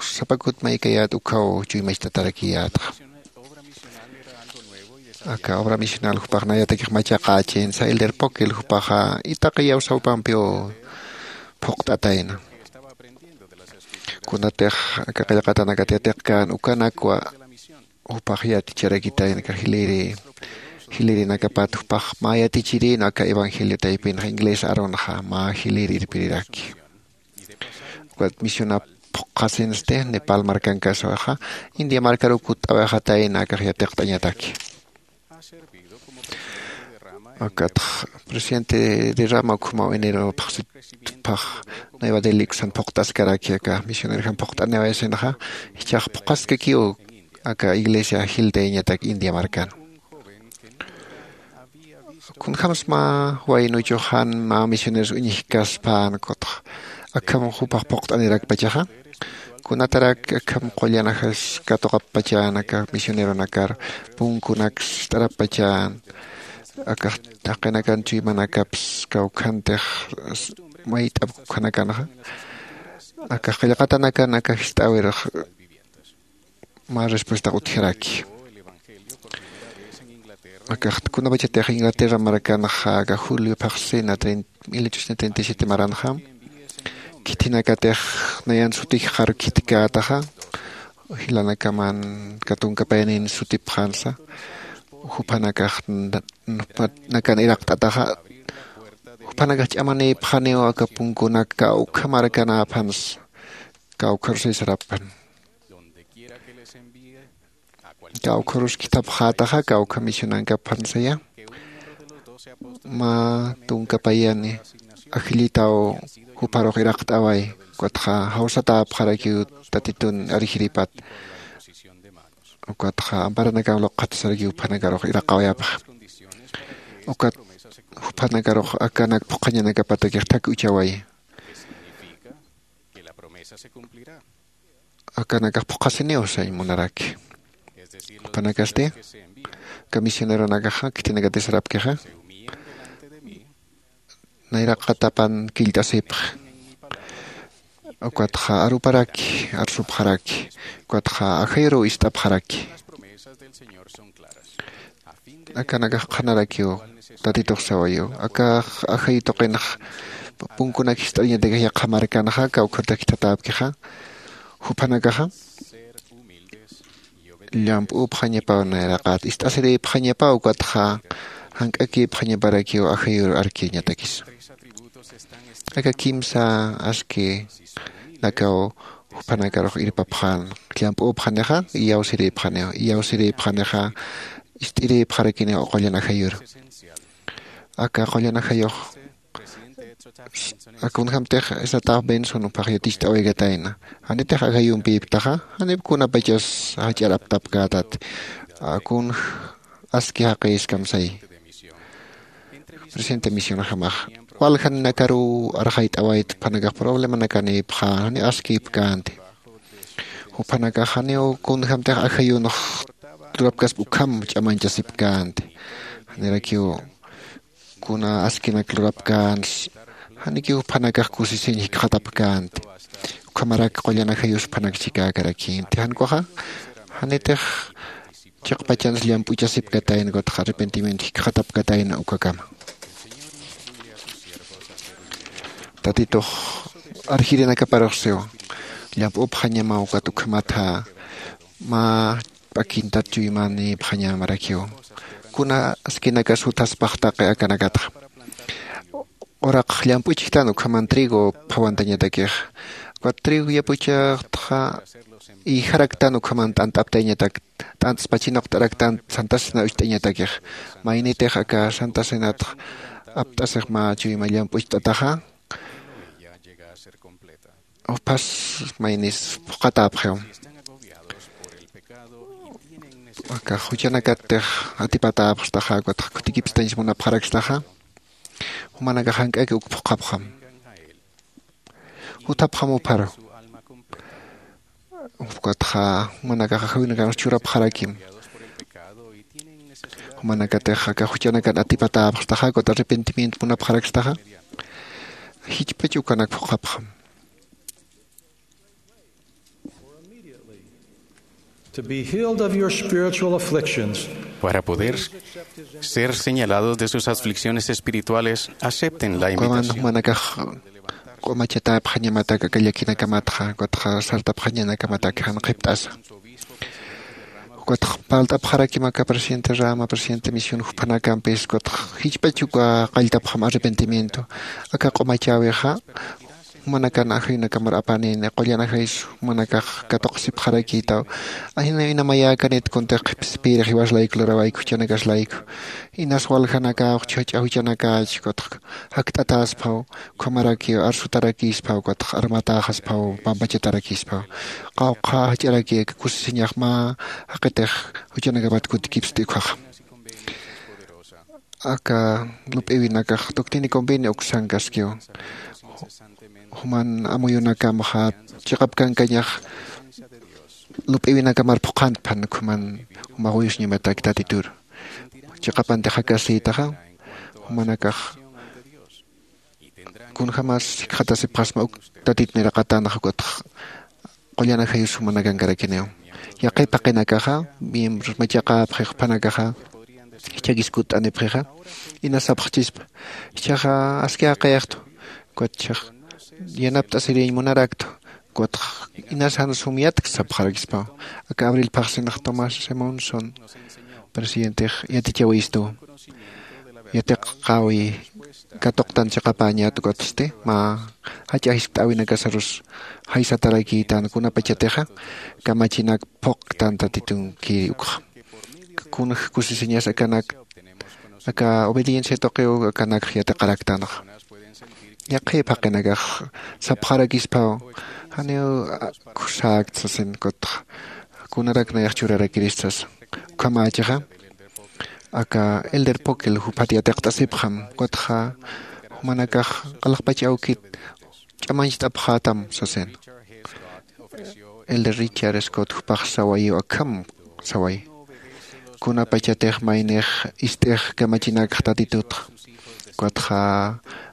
sapakut maykayät ukhaw chuymacht'atarakiyätxa. Aka obra misional jupaxnayatakix machaqächin sailder pokil jupaxa itaqiyaw sawpampiw phuqt'atayna. Kunatix aka qillqatanakat yatiqkän ukanakwa jupax yaticharakitayna aka jiliri jilinakapat jupax mä yatichirïna aka evangelio taypinxa inglés arunxa mä jiliri irpiriraki. Ukat misionap phuqhasinsti nepal markankaswaxa india markaruw kutt'awixatayna akax yatiqt'añataki. Akatx presidente de rama ukhamaw enero phaxsitpax nueva delhi uksan phuqt'askaraki aka misionerjam phuqt'aniwayasinxa. Jichhax phuqhaskakiw aka iglesia jiltayañatak india markan. Kunjämsa mä waynuchuxan mä misioneros uñjkaspän kutxa akham jupax phuqt'anirakpachaxa, kunatarak akham qullanajax katuqapachän aka misioneronakar, punkunaks ist'arapachän akax jaqinakan chuymanakapsa kawkhantix mayt'ap ukhanakanxa. Akax qillqatanakan akax jist'äwirux mä respuesta utjaraki. Akax kunapachatix Inglaterra markanxa aka julio phaxsina mil ochocientos treinta y siete maranxa, khithinakatix nayan sutijxar khitkätaxa, jilanakaman katunkapaynin sutipxänsa, juphanakax nakan iraqt'ataxa, juphanakax ch'amanïpxaniw aka punkunak kawkha markanäphansa, kawkharus sarapxän. Kawkharus khithapxätaxa kawkha misionankapxansaya. Mä tunkapayani ajillitaw jupharux iraqt'away, ukatxa jawsatäpxarakiw tatitun arjiripat, ukatxa amparanakan luqxatasarakiw juphanakarux iraqawayapxa. Ukat juphanakarux akanak phuqhañanakapatakix thak uchaway. Akanakax phuqhasiniw sañ munaraki. Jupanakasti aka misioneronakaxa khithinakatix sarapkixa, nayraqatapan killt'asipxi, ukatxa aruparaki arsupxaraki, ukatxa ajayuruw ist'apxaraki. Akanakax qhanarakiw tatitux sawayiw, akax ajayu tuqinx punkunak jist'ariñatakix yaqha markanxa kawkhartax khithatäpkixa, juphanakaxa llamp'üpxañapaw nayraqat ist'asirïpxañapaw ukatxa jank'akïpxañaparakiw ajayur arkiñatakis. Aka kimsa askinakaw juphanakarux irpapxän, llamp'üpxanixa, iyawsirïpxaniw iyawsirïpxanixa, ist'irïpxarakiniw qullan ajayur. Aka qullan ajayux kunjämtix esataw benson juphax yaticht'awaykatayna, janitix ajayumpïptaxa, janip kunapachas jach'ar aptapkätati. Kunj aski jaqïskam sayi. Presidente misionjamax waljanakaruw arxayt'awayta, juphanakax problemanakanïpxän, janiw askïpkänti. Juphanakax janiw kunjämtix ajayunx lurapkaspa ukham ch'amañchasipkänti. Janirakiw kuna askinak lurapkänsa, janikiw juphanakax kusisiñ jikxatapkänti. Ukhamarak qullan ajayus juphanak chikäkarakïnti. Jan ukaxa janitix chiqpachansa llamp'uchasipkatayna ukatxa arrepentimiento jikxatapkatayna ukakama. Tatitux arjirinakaparux siwa, llamp'upxañamaw ukat ukhamatha mä p'akintat chuymanïpxañamarakiw. Kuna askinakas juthaspxtaqi akanakatxa. Uraqx llamp'uchktan ukhaman trigo phawantañatakixa. Ukat trigo yapuchxtxa ïjaraktan ukhaman t'ant'aptayañatak, t'antspa chinuqt'araktan santa cena ucht'ayañatakix. Maynitix aka santa cenatx apt'asix mä chuyma llamp'ucht'ataxa, uphas maynis phuqatäpxiw. Aka juchanakattix atipatäpxstaxa ukatxa khutikipstañs munapxarakstaxa, jumanakax jank'aki uk phuqhapxam. Juthapxam upharu. Ukatxa jumanakax ajayunakanx churapxarakim. Jumanakatix aka juchanakan atipatäpxstaxa ukat arrepentimiento munapxarakstaxa, jichpach ukanak phuqhapxam. To be healed of your spiritual afflictions. Para poder ser señalados de sus aflicciones espirituales, acepten la invitación. Jumanakax q'umachatäpxañamatak aka llakinakamatxa ukatxa sartapxañanakamataki jan qhipt'asa. Ukatxa parlt'apxarakim aka presidente rama, presidente misión juphanakampis, ukatxa jichpach uka qalltapxam arrepentimiento. Aka q'umachäwixa jumanakan ajayunakamar apanïni, qullan ajayus jumanakax katuqsipxarakïtaw. Ajina ina mayäkanit kuntix qhipspïrix jiwas layku lurawayku, juchanakas layku. Inas waljanakaw, juchha juchanakäch, ukatxa jakt'atäsphaw, ukhamarakiw arsutarakïsphaw, ukatxa armatäxasphaw, pampachatarakïsphaw. Qawqha jach'araki aka kusisiñax mä jaqitix juchanakapat kutikipsti ukkhaxa. aka lup'iwinakax doctrina y convenio uksankaskiw. Juman amuyunakamxa chiqapkankañax lup'iwinakamar phuqhantpan ukhaman jumax uyusñamataki tatitur. Chiqapantix jakasïtaxa jumanakax kunjämas jikxatasipxasma uk tatit niraqatanxa ukatx qullan ajayus jumanakankarakiniw. Yaqhip jaqinakaxa miembros machaqäpxi jupanakaxa jichhakis kutt'anipxixa inas sapxchispa jichhaxa aski jaqiyxtu. Ukat jichhax yanapt'asiriñ munaraktwa. Ukat inas jan sum yatk sapxarakispaw. Aka abril phaxsinx tomás simonson presidentix yatichäwistu yatiqäwi katuqtan chiqapäñät ukatsti mä jach'a jiskt'äwinakasarus jaysatarakïtan kunapachatixa kamachinak phuqktan tatitunkiri ukxa. Kunx kusisiñas akanak aka obediencia tuqiw akanakx yatiqaraktanxa. Yaqhip jaqinakax sapxarakispaw janiw kusäkt sasin kutxa kunarak nayax churarakirist sasa. Ukhamächixa aka elder pokel juphat yatiqt'asipxam kutxa jumanakax q'alaxpach awkit ch'amañcht'apxätam sasin. Elder richard scott jupax sawayiw akham saway kunapachatix maynix ist'ix kamachinakx tatitutxa. Ukatxa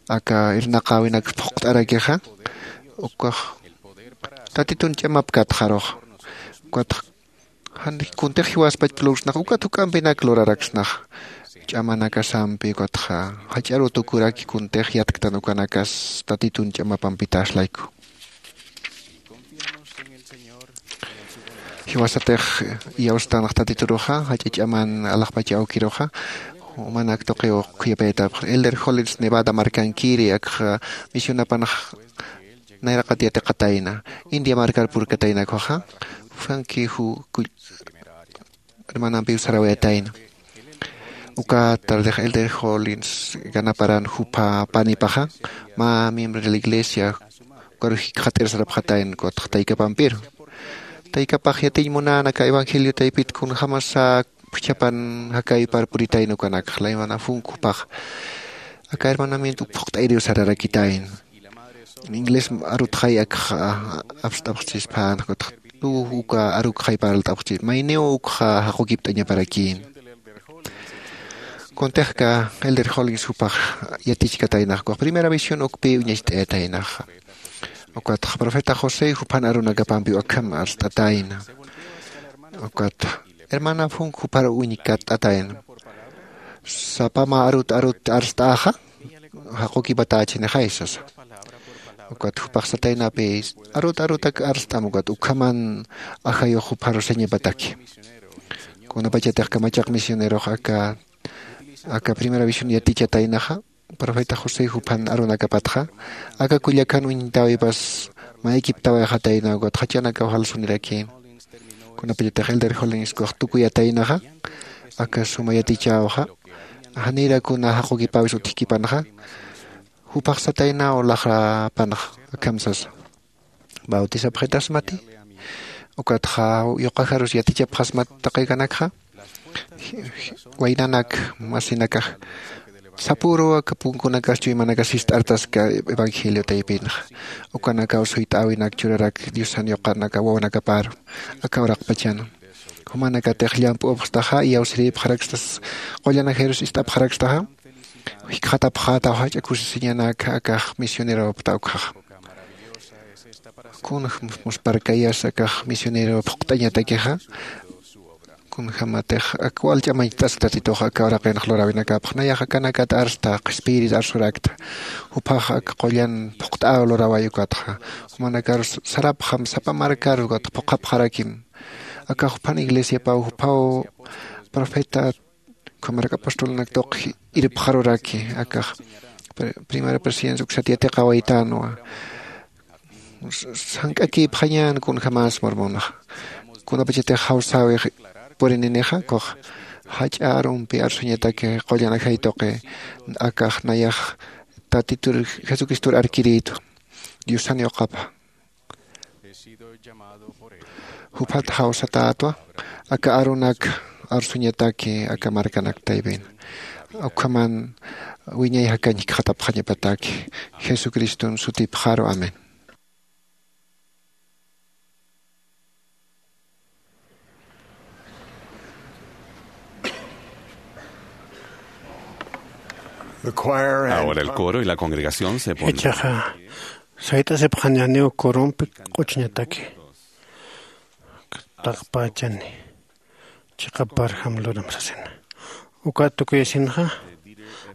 aka irnaqäwinakx phuqt'arakixa ukax tatitun ch'amapkatxaruxa. Ukatx jan kuntix jiwaspach plursnax ukat juk'ampinak luraraksnax ch'amanakasampi ukatxa jach'aru tukuraki kuntix yatktan ukanakas tatitun ch'amapampitax layku. Jiwasatix iyawstanx tatituruxa jach'a ch'aman alaxpacha awkiruxa jumanak tuqiw khuyapayatapxi elder hollins nevada markankiri akxa misionapanx nayraqat yatiqatayna india markar purkataynakxaxa. Jupanki ju hermanampiw sarawayatayna. Uka tardix elder hollins ganaparan jupha panipaxa mä miembro de la iglesia ukaru jikxat'ir sarapxatayna ukatx taykapampiru taykapax yatiñ munän aka evangelio taypit kunjämasa phuchhapan jakaypar puritayna ukanakxa laymana funk jupax aka hermanamiento uk phuqt'ayriw sararakitayna. Inglés arutxay akx apst'apxchispän ukatx tuw uka arukxay parlt'apxchis mayniw ukxa jaqukipt'añaparakïn. Kuntixka elder hollins jupax yatichkataynax ukax primera visión ukpï uñacht'ayataynaxa. Ukatx profeta josé jupan arunakapampiw akham arst'atayna. Ukat hermana funk jupar uñkatt'atayna sapa mä arut arut arst'äxa jaqukipatächinixay sasa. Ukat jupax sataynapi arut arutak arst'am ukat ukhaman ajayux jupharu sañapataki. Kunapachatix kamachaq misionerox aka aka primera visión yatichataynaxa profeta josé juphan arunakapatxa aka kullakan uñtäwipas mä equiptawayxatayna ukat jachanakaw jalsunirakïn. Kunapachatix elder hollins ukax tukuyataynaxa aka suma yatichäwxa janira kuna jaqukipäwis utjkipanxa. Jupax sataynaw laxrapanxa akham sasa, bautisapxitasmati? Ukatxa yuqajarus yatichapxasmat taqi kanakxa? Waynanak masinakax sapüruw aka punkunakas chuymanakas sist'artaska evangelio taypinxa. Ukanakaw suyt'äwinak churarak diosan yuqanaka wawanakaparu aka uraqpachan jumanakatix llamp'upxstaxa iyawsirïpxarakstas qullan ajayrus ist'apxarakstaxa. Jikxatapxätaw jach'a kusisiñanak akax misioneropta ukxaxa. Kunx musparkayas akax misionero phuqt'añatakixa kunjämatix ak wal ch'amañcht'ask tatitux aka uraqinx luräwinakapx nayax akanakat arsta qhispiyirit arsurakta. Juphax ak qullan phuqt'äw luräway ukatxa jumanakarus sarapxam sapa markar ukatxa phuqhapxarakim. Aka juphan iglesiapaw juphaw profeta ukhamaraki apostolnak tuqi irpxaruraki akax primera presidencia uksat yatiqawaytänwa. Sank'akïpxañän kunjämas mormonxa kunapachatix jawsäwi purininixa ukax jach'a arumpi arsuñataki qullan ajay tuqi akax nayax tatitur jesucristor arkirïtwa diosan yuqapa. Juphat jawsatätwa aka arunak arsuñataki aka markanak taypin. Ukhaman wiñay jakañ jikxatapxañapataki. Jesucristun sutipxaru. Amén. Ahora el coro y la congregación se ponen. Ichaxa sayt'asipxañäniw corompi q'uchñataki. Taqpachani chiqaparjam luram sasina. Ukat tukuyasinxa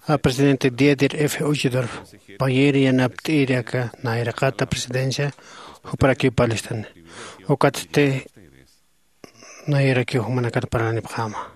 a presidente Dieter F Uchtdorf, payïr yanapt'iri aka nayraqata presidencia, juparakiw parlistani. Ukatsti nayrakiw jumanakat parlanipxäma.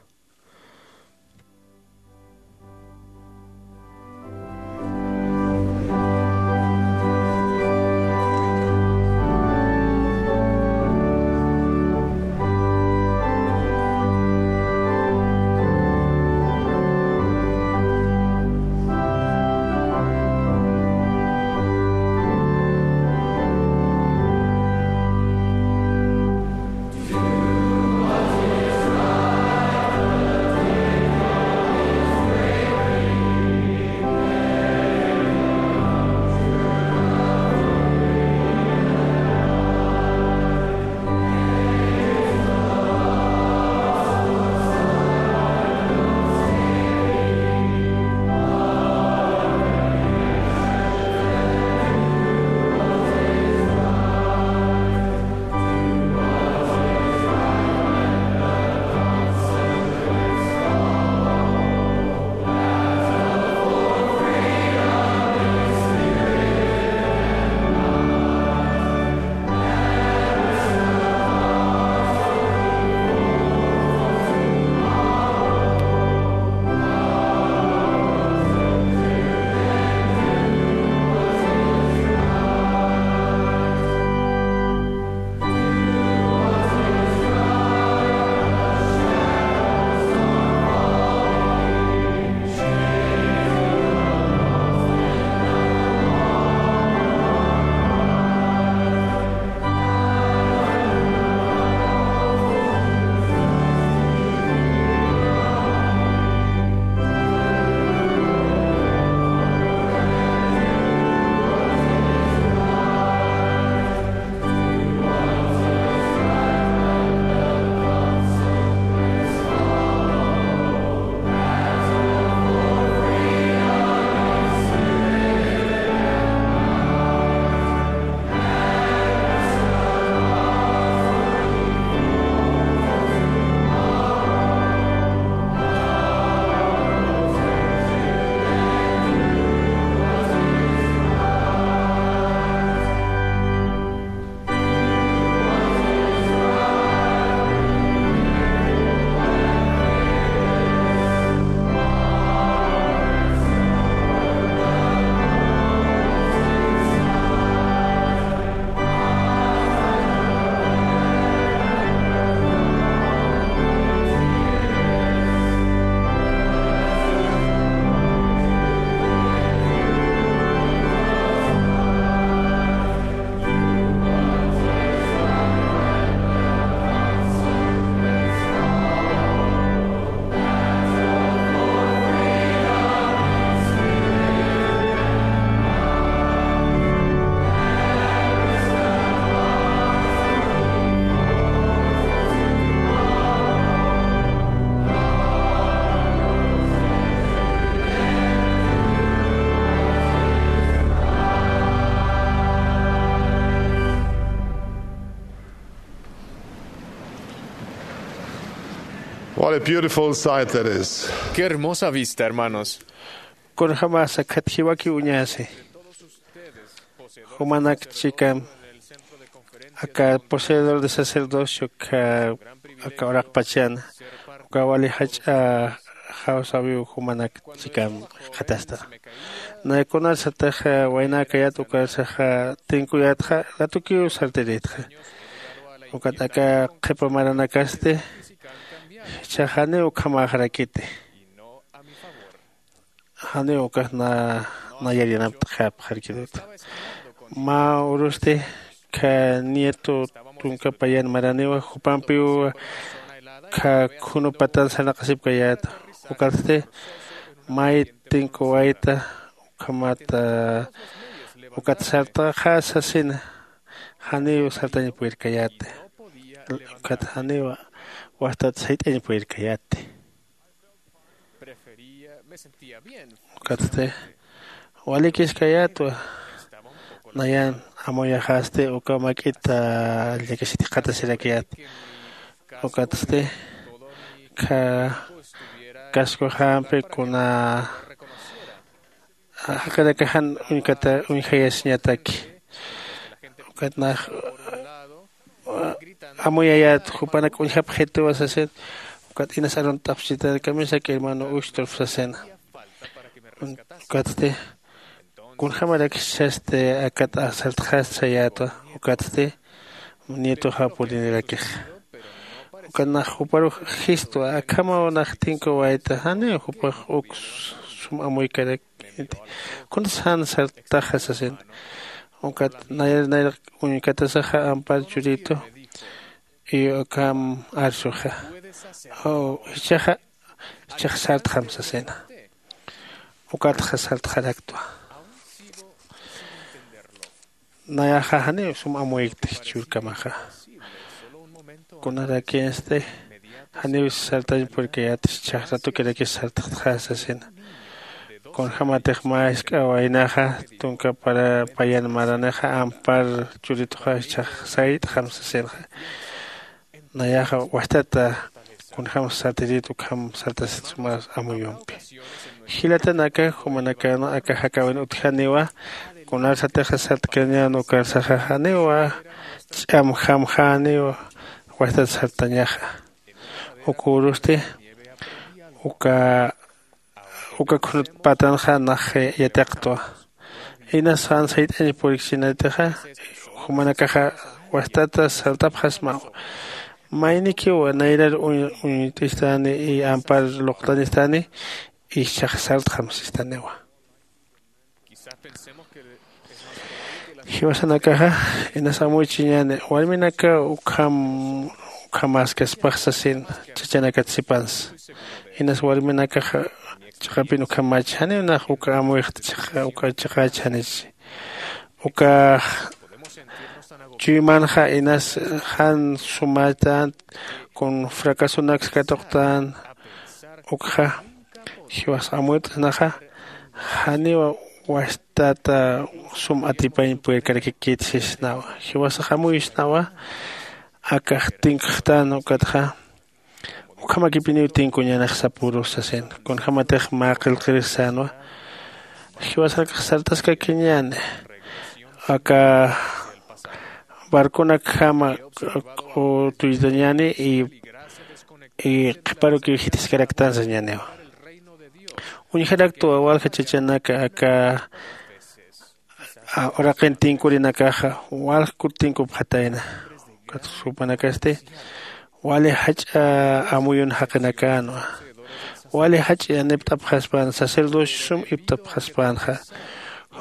What a beautiful sight that is. Qué hermosa vista, hermanos. Kunjämasa khat jiwaki uñasi. Jumanak chikam aka poseedor de sacerdocio aka uraqpachan, uka wali jach'a jawsäwiw jumanak chikam jikxatasta. Nay kunar sataxa waynäkayät ukarsaxa tinkuyätxa, ratukiw sartirïtxa. Ukat aka qhipa maranakasti jichhax janiw ukhamäxarakiti. Janiw ukax na nayar yanapt'xapxarkitut. Mä urusti kha nieto tunka payan maraniwa, jupampiw kha khunu patan sarnaqasipkayäta. Ukatsti mayt tinkuwayta ukhamat ukat sartaxa sasina. Janiw sartañ purirkayäti. Ukat janiw wastat sayt'añ purirkayäti. Ukatsti walikiskayätwa. Nayan amuyaxasti uka mak'it llakisiti qatasirakayät. Ukatsti kha kaskuxampi kuna jaqirakaxan uñkata uñjayasiñataki. Ukat nax amuyayät jupanak uñjapxituwa sasin. Ukat inas arunt'apxchitan kamisaki hermano ustorf sasina. Ukatsti kunjamarak jichhasti akat sartxast sayätwa. Ukatsti nietuxa purinirakixa. Ukat nax juparux jistwa akhamaw nax tinkuwayta janiw jupax uk sum amuykarak. Kunsa jan sartaxa sasina. Ukat nayar nayar uñkatasaxa ampar churitu y ukham arsuxa. Jichhaxa jichhax sartxam sasina. Ukatxa sartxaraktwa. Nayaxa janiw sum amuykti jichhürkamaxa. Kunarakinsti janiw sartañ purkayäti jichhax ratukirakis sartxtxa sasina. Kunjämatix mä jisk'a waynaxa tunka payan maranixa ampar churituxa jichhax sayt'xam sasinxa. Nayaxa wajtata kunjämsa sartiritu ukham sartasit suma amuyumpi. Jilatanaka jumanakana aka jakäwin utjaniwa. Kunarsatixa sartkañän ukarsaxa janiwa ch'amjamjäniwa. Wajtat sartañaxa. Ukürusti uka uka khunut patanxa nax yatiqtwa. Inas jan sayt'añ purikchinatixa jumanakaxa wajtata sartapxasmaw. Maynikiw nayrar uñt'istani y ampar luqtañistani. Ischhax sartxam sistaniwa. Jiwasanakaxa inas amuychiñäni warminaka ukham ukhamäskaspax sasin chachanakat sipansa. Inas warminakaxa chiqapin ukhamach janiw nax uka amuyxt chiqa uka chiqach janich. Ukax chuymanxa inas jan sumatant kun fracasonak katuqtan. Ukxa jiwas amuyt'snaxa janiw wajtata sum atipañ puyirkarakikit sisnawa. Jiwasax amuyisnawa akax tinkxtan ukatxa ukhamakipiniw tinkuñänix sapürus sasin. Kunjämatix mä qillqirix sänwa jiwasax sartaskakiñäni aka barconakjama k'utuytañäni y qhiparukiw jitiskaraktan sañäniwa. Uñjaraktwa walja chachanaka aka uraqin tinkurinakaxa walja kut tinkupxatayna. Ukat jupanakasti wali jach'a amuyun jaqinakänwa. Wali jach'a yanipt'apxaspan sacerdocio sum ipt'apxaspänxa.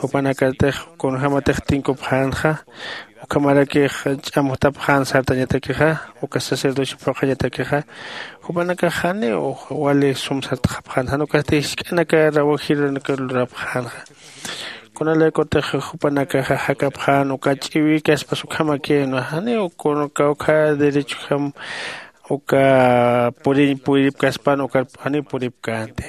Jupanakatix kunjämatix tinkupxänxa ukhamarakix ch'amjtapxän sartañatakixa uka sacerdocio phuqhañatakixa. Jupanakax janiw wali sum sartxapxän jan ukasti jisk'anaka rawajirunaka lurapxänxa. Kunalaykutix jupanakaxa jak'apxän uka ch'iwïkaspas ukhamakïnwa janiw kun kawkha derechojam uka puriñ puripkaspan ukar janiw puripkänti.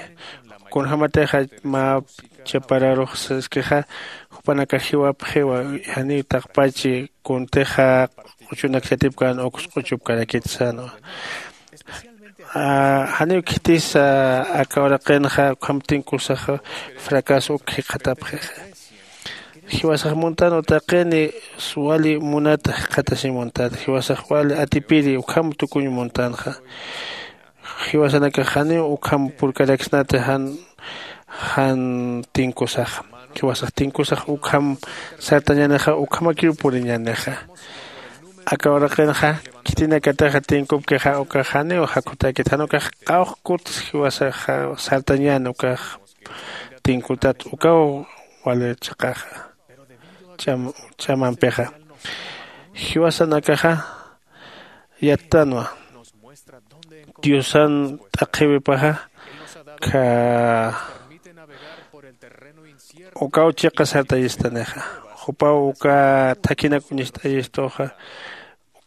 Kunjämatixa mä chapararux saskixa jupanakax jiwapxiwa janiw taqpachi kuntixa q'uchunak yatipkän uks q'uchupkarakit sänwa. Janiw khitisa aka uraqinxa ukham tinkusaxa fracaso uk jikxatapxixa. Jiwasax muntan utaqini wali munata jikxatasiñ muntat jiwasax wali atipiri ukham tukuñ muntanxa. Jiwasanakax janiw ukham purkaraksnati jan jan tinkusaxa. Jiwasax tinkusax ukham sartañänixa ukhamakiw puriñänixa. Aka uraqinxa khitinakatixa tinkupkixa ukax janiw jakhutäkit jan ukax qawqkut jiwasaxa sartañäni ukax tinkutat ukaw wali chiqaxa ch'amampixa. Jiwasanakaxa yattanwa diosan t'aqhiwipaxa kha ukaw chiqa sartayistanixa. Jupaw uka thakhinak uñist'ayistuxa.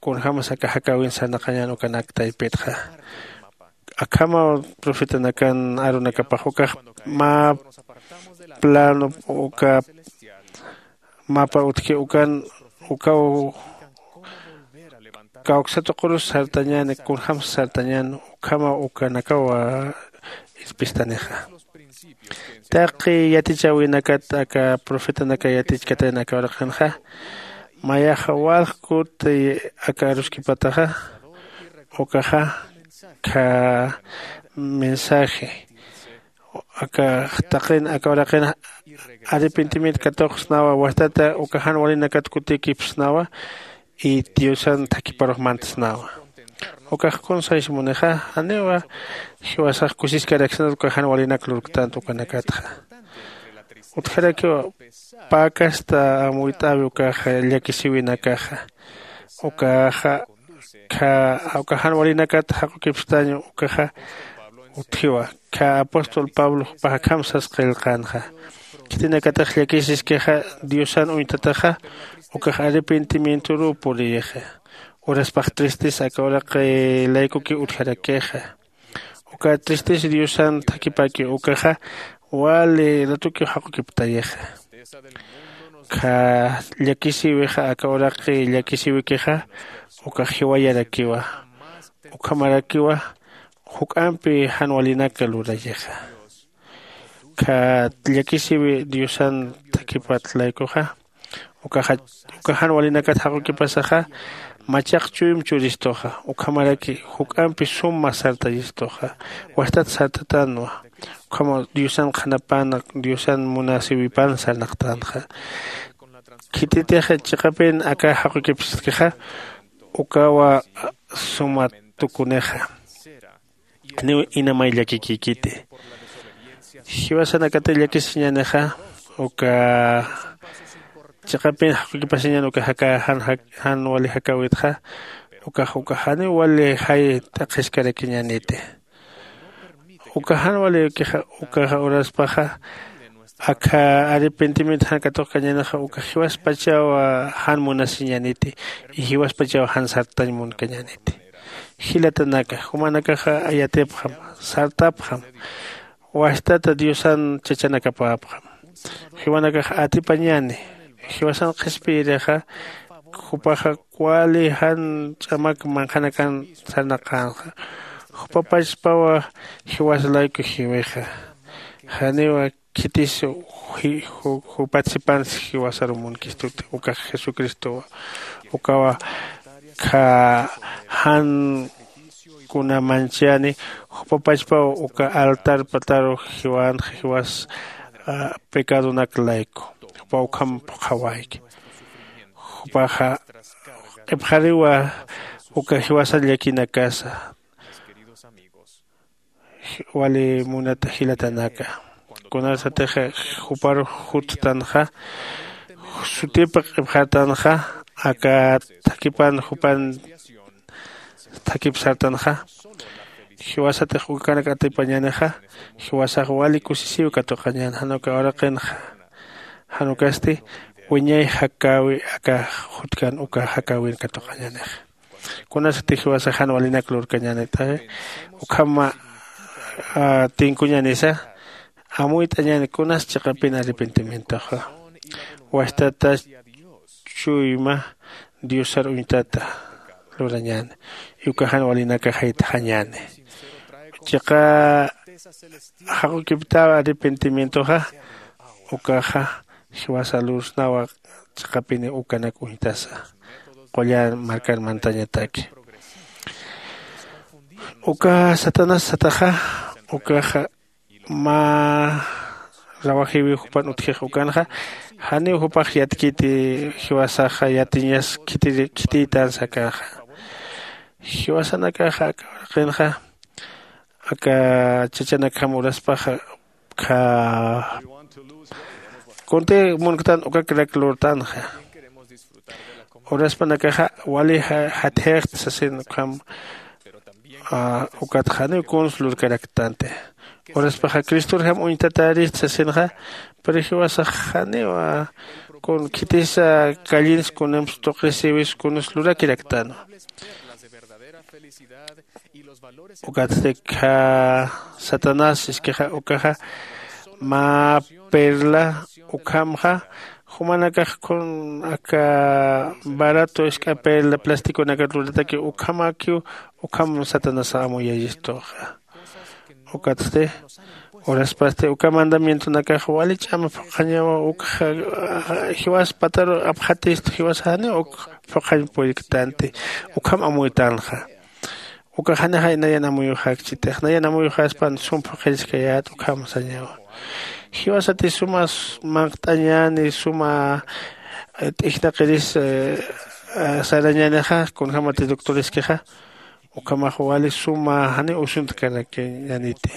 Kunjämas aka jakäwin sarnaqañän ukanak taypitxa. Akhamaw profetanakan arunakapax ukax mä plano uka mapa utji ukan ukaw kawksa tuqurus sartañäni kunjämsa sartañän. Ukhamaw ukanakaw irpistanixa. Taqi yatichäwinakat aka profetanaka yatichkatayan aka uraqinxa mayaxa walj kuti aka aruskipataxa ukaxa kha mensaje aka taqin aka uraqin arrepentimiento katuqsnawa wastata uka jan walinakat kutikipsnawa. Y diosan thakhiparux mantsnawa. Ukax kunsaysi munixa janiwa jiwasax kusiskaraksnat uka jan walinak lurktanta ukanakatxa. Utjarakiwa pä kasta amuyt'äwi ukaxa llakisiwinakaxa ukaxa kha uka jan walinakat jaqukipstañ ukaxa utjiwa. Kha apóstol pablo jupax akham sas qillqänxa khitinakatix llakisiskixa diosan uñtataxa ukax arrepentimientoruw puriyixa. Uraspax tristis aka uraqi laykuki utjarakixa. Uka tristis diosan thakipaki ukaxa wali ratukiw jaqukiptayixa. Kha llakisïwixa aka uraqi llakisïwikixa ukax jiwayarakiwa. Ukhamarakiwa juk'ampi jan walinak lurayixa. Kha llakisïwi diosan thakhipat laykuxa ukaxa uka jan walinakat jaqukipasaxa machaq chuym churistuxa ukhamaraki juk'ampi suma sartayistuxa. Wastat sartatanwa. Ukhamaw diosan qhanapan diosan munasïwipan sarnaqtanxa. Khititix chiqapin aka jaqukipstkixa ukawa suma tukunixa. Niw inamay llakikïkiti. Jiwasanakati llakisiñänixa uka chiqapin jaqukipasiñän uka jaka jan jan wali jakäwitxa ukax uka janiw wali jay t'aqhiskarakiñäniti. Uka jan walikixa ukaxa uraspaxa akha arrepentimiento jan katuqkañänixa uka jiwaspachaw jan munasiñäniti. Y jiwaspachaw jan sartañ munkañäniti. Jilatanaka jumanakaxa yatipxam sartapxam wastata diosan chachanakapäpxam. Jiwanakax atipañäni jiwasan qhispiyirixa jupaxa wali jan ch'amak manqhanakan sarnaqänxa. Jupapachpawa jiwas layku jiwixa janiwa khitis jupat sipansi jiwasaru munkistuti ukax jesucristowa. Ukawa kha jan kuna manchani jupapachpaw uka altar pataru jiwanxa jiwas pecadonak layku jupa ukham phuqhawayki. Jupaxa q'ipxariwa uka jiwasa llakinakasa. Wali munata jilatanaka kunasatix jupar juttanxa sutip q'ipxartanxa aka thakhipan jupan thakip sartanxa. Jiwasatix ukanak atipañänixa jiwasax wali kusisiw katuqañän jan uka uraqinxa. Jan ukasti wiñay jakäwi aka jutkan uka jakäwin katuqañänixa. Kunasati jiwasax jan walinak lurkañänit'awi ukhama tinkuñänisa amuyt'añäni kunas chiqapin arrepentimientoxa. Wastata chuyma diosar uñtata lurañäni. Uka jan walinakax jayt'xañäni chiqa jaqukiptaw arrepentimientoxa. Ukaxa jiwasa lursnawa chiqapini ukanak uñtasa qullan markan mantañataki. Uka satanás sataxa ukaxa mä rawajiwi jupan utjix ukanxa janiw jupax yatkiti jiwasaxa yatiñas khitiytan sakaxa. Jiwasanakaxa aka uraqinxa aka chachanakjam uraspaxa kha kunti munktan ukakrak lurtanxa. Uraspanakaxa wali jatjixta sasin ukham Ukatxa janiw kuns lurkaraktänti. Uraspaxa cristorjam uñtatäristi sasinxa. Pero jiwasax janiw kun khitisa kallins kunimps tuqisiwis kuns lurakiraktäna. Ukatsti kha satanás iskixa ukaxa mä perla ukhamxa jumanakax kun aka barato isk'a perla plasticonakat lurataki ukhamakiw. Ukham satanás amuyayistuxa. Ukatsti uraspasti uka mandamientonakax wali ch'ama phuqhañawa ukxa jiwas pataru apxatistu jiwasa janiw uk phuqhañ puriktänti. Ukham amuytänxa. Ukax janixay nayan amuyuxäkchitix nayan amuyuxaspan sum phuqhiriskayät ukham sañawa. Jiwasati suma manqt'añäni suma t'ijnaqiris sarañänixa kunjämati doctoriskixa. Ukhamax wali suma janiw usuntkarakñäniti.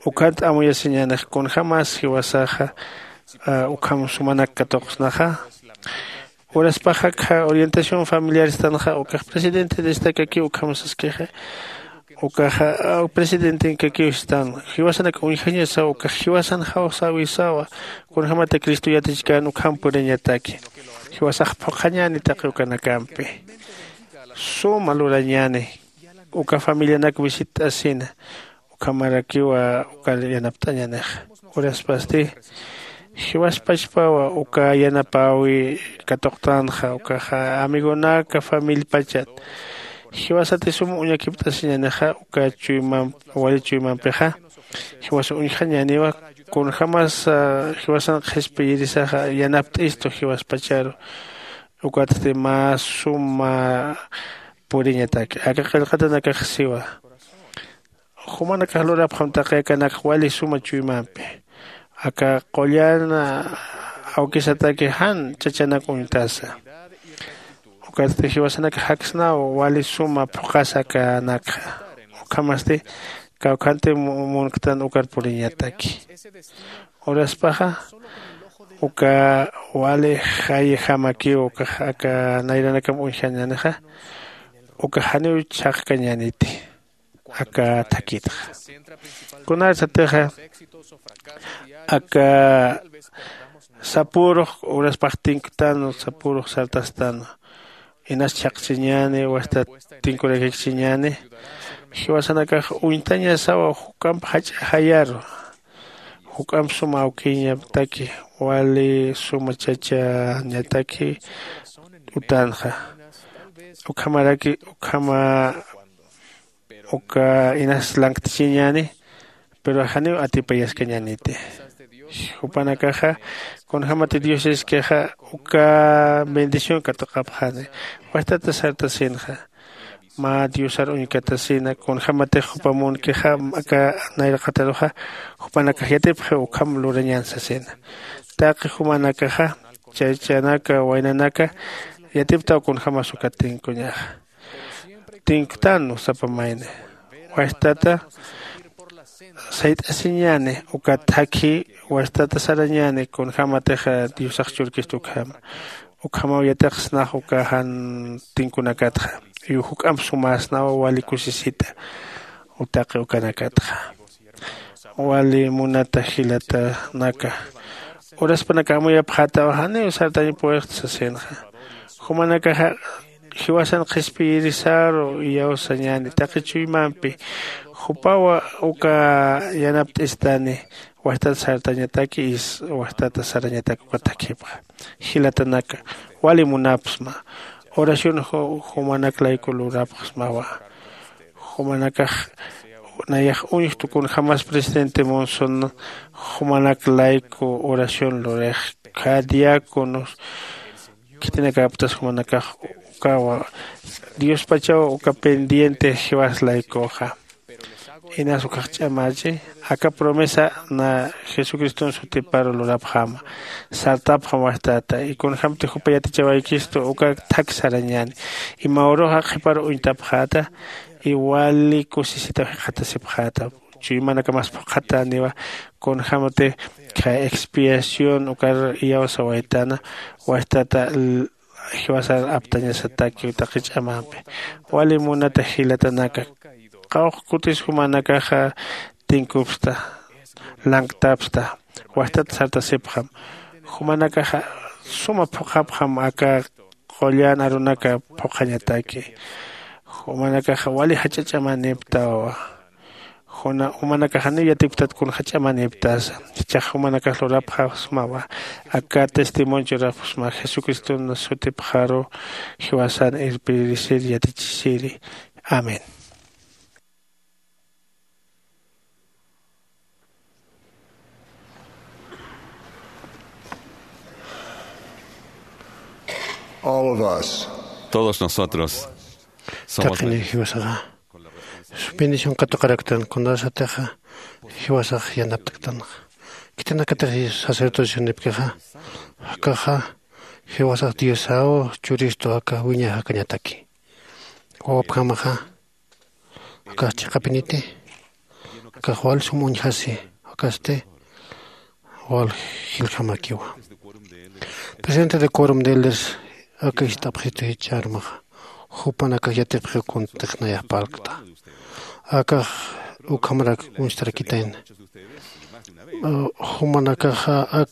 Ukhant amuyasiñänix kunjämas jiwasaxa ukham sumanak katuqsnaxa. Uraspaxa akha orientación familiar istanxa ukax presidente de estakakiw ukham saskixa. Ukaxa presidentenkakiw istan jiwasanak uñjañasaw ukax jiwasan jawsäwisawa. Kunjämata cristo yatichkän ukham puriñataki. Jiwasax phuqhañäni taqi ukanakampi suma lurañäni. Uka familianak visitt'asina ukhamarakiwa uka yanapt'añänixa. Uraspasti jiwaspachpawa uka yanapäwi katuqtänxa ukaxa amigonaka familiapachat. Jiwasati sum uñakipt'asiñänixa uka chuymamp wali chuymampixa. Jiwas uñjañäniwa kunjämas jiwasan qhispiyirisaxa yanapt'istu jiwaspacharu. Ukatsti mä suma puriñataki aka qillqatanakax siwa. Jumanakax lurapxam taqi akanakax wali suma chuymampi aka qullan awkisataki jan chachanak uñtasa. Ukatsti jiwasanakax jaksnaw wali suma phuqhasa akanakxa. Ukhamasti kawkhanti munktan ukar puriñataki. Uraspaxa uka wali jayjamakiw ukax aka nayranakam uñjañänixa. Ukax janiw chhaqkañäniti aka thakitxa. Kunarsatixa aka sapürux uraspax tinktan sapürux sartastan. Inas chhaqchiñäni wastat tinkurakikchiñäni. Jiwasanakax uñtañasawa juk'amp jach'a jayaru. Juk'amp suma awkiñataki wali suma chachañataki utanxa. Ukhamaraki ukhama uka inas lanktchiñäni. Pero janiw atipayaskañäniti. Jupanakaxa kunjämati dios iskixa uka bendición katuqapxani. Wajtata sartasinxa mä diosar uñkatasina kunjämatix jupa munkixa aka nayraqataruxa. Jupanakax yatipxiw ukham lurañän sasina. Taqi jumanakaxa chachanaka waynanaka yatiptaw kunjämas ukat tinkuñaxa. Tinktan sapa mayni wajtata sayt'asiñäni uka thakhi wajtata sarañäni kunjämatixa diosax churkistu ukhama. Ukhamaw yatiqsnax uka jan tinkunakatxa. Juk'amp sumäsnaw wali kusisita. Utaqi ukanakatxa wali munata jilatanaka. Uraspanaka amuyapxätaw janiw sartañ puwixta sasinxa. Jumanakaxa jiwasan qhispiyirisaru iyawsañäni taqi chuymampi. Jupawa uka yanapt'istani wajtat sartañataki is wajtat sarañatak uka thakhipxa. Jilatanaka wali munapxsma. Oración jumanak layku lurapxsmawa. Jumanakax nayax uñjtu kunjämas presidente monson jumanak layku oración lurix. Khä diáconos khitinakäptas jumanakax ukawa diospachaw uka pendiente jiwas laykuxa. Inas ukax ch'amachi aka promesa na jesucriston sutiparu lurapxäma. Sartapxam wajtata y kunjämti jupa yatichawaykistu uka thak sarañäni. Y mä uruxa qhiparu uñtapxäta y wali kusisitaw jikxatasipxäta. Chuymanakamas phuqhatäniwa kunjämti khä expiación ukar iyawsawaytana wajtata jiwasar aptañasataki taqi ch'amampi. Wali munata jilatanaka qawqkutis jumanakaxa tinkupsta, lanktapsta, wastat sartasipxam. Jumanakaxa suma phuqhapxam aka qullan arunaka phuqhañataki. Jumanakaxa wali jach'a ch'amaniptawa. Juna jumanakaxa niw yatiptat kun jach'amaniptasa. Jichhax jumanakax lurapxasmawa. Aka testimonio churapxsma jesucriston sutipxaru jiwasan irpirisir yatichisiri. Amén. All of us. Todos nosotros somos taqini jiwasaxa bendición katuqaraktan kunasatixa jiwasax yanaptaktanxa. Khitinakatix sacerdocionipkixa jakaxa jiwasax diosaw churistu aka wiña jakañataki. Wawapjamaxa akax chiqapiniti akax wal sum uñjasi akasti wal jiljamakiwa. Presidente de corum de elders aka ist'apxitu jichharumaxa jupanakax yatipxiw kuntix nayax parlkta. Akax ukhamarak uñstarakitayna. Jumanakaxa ak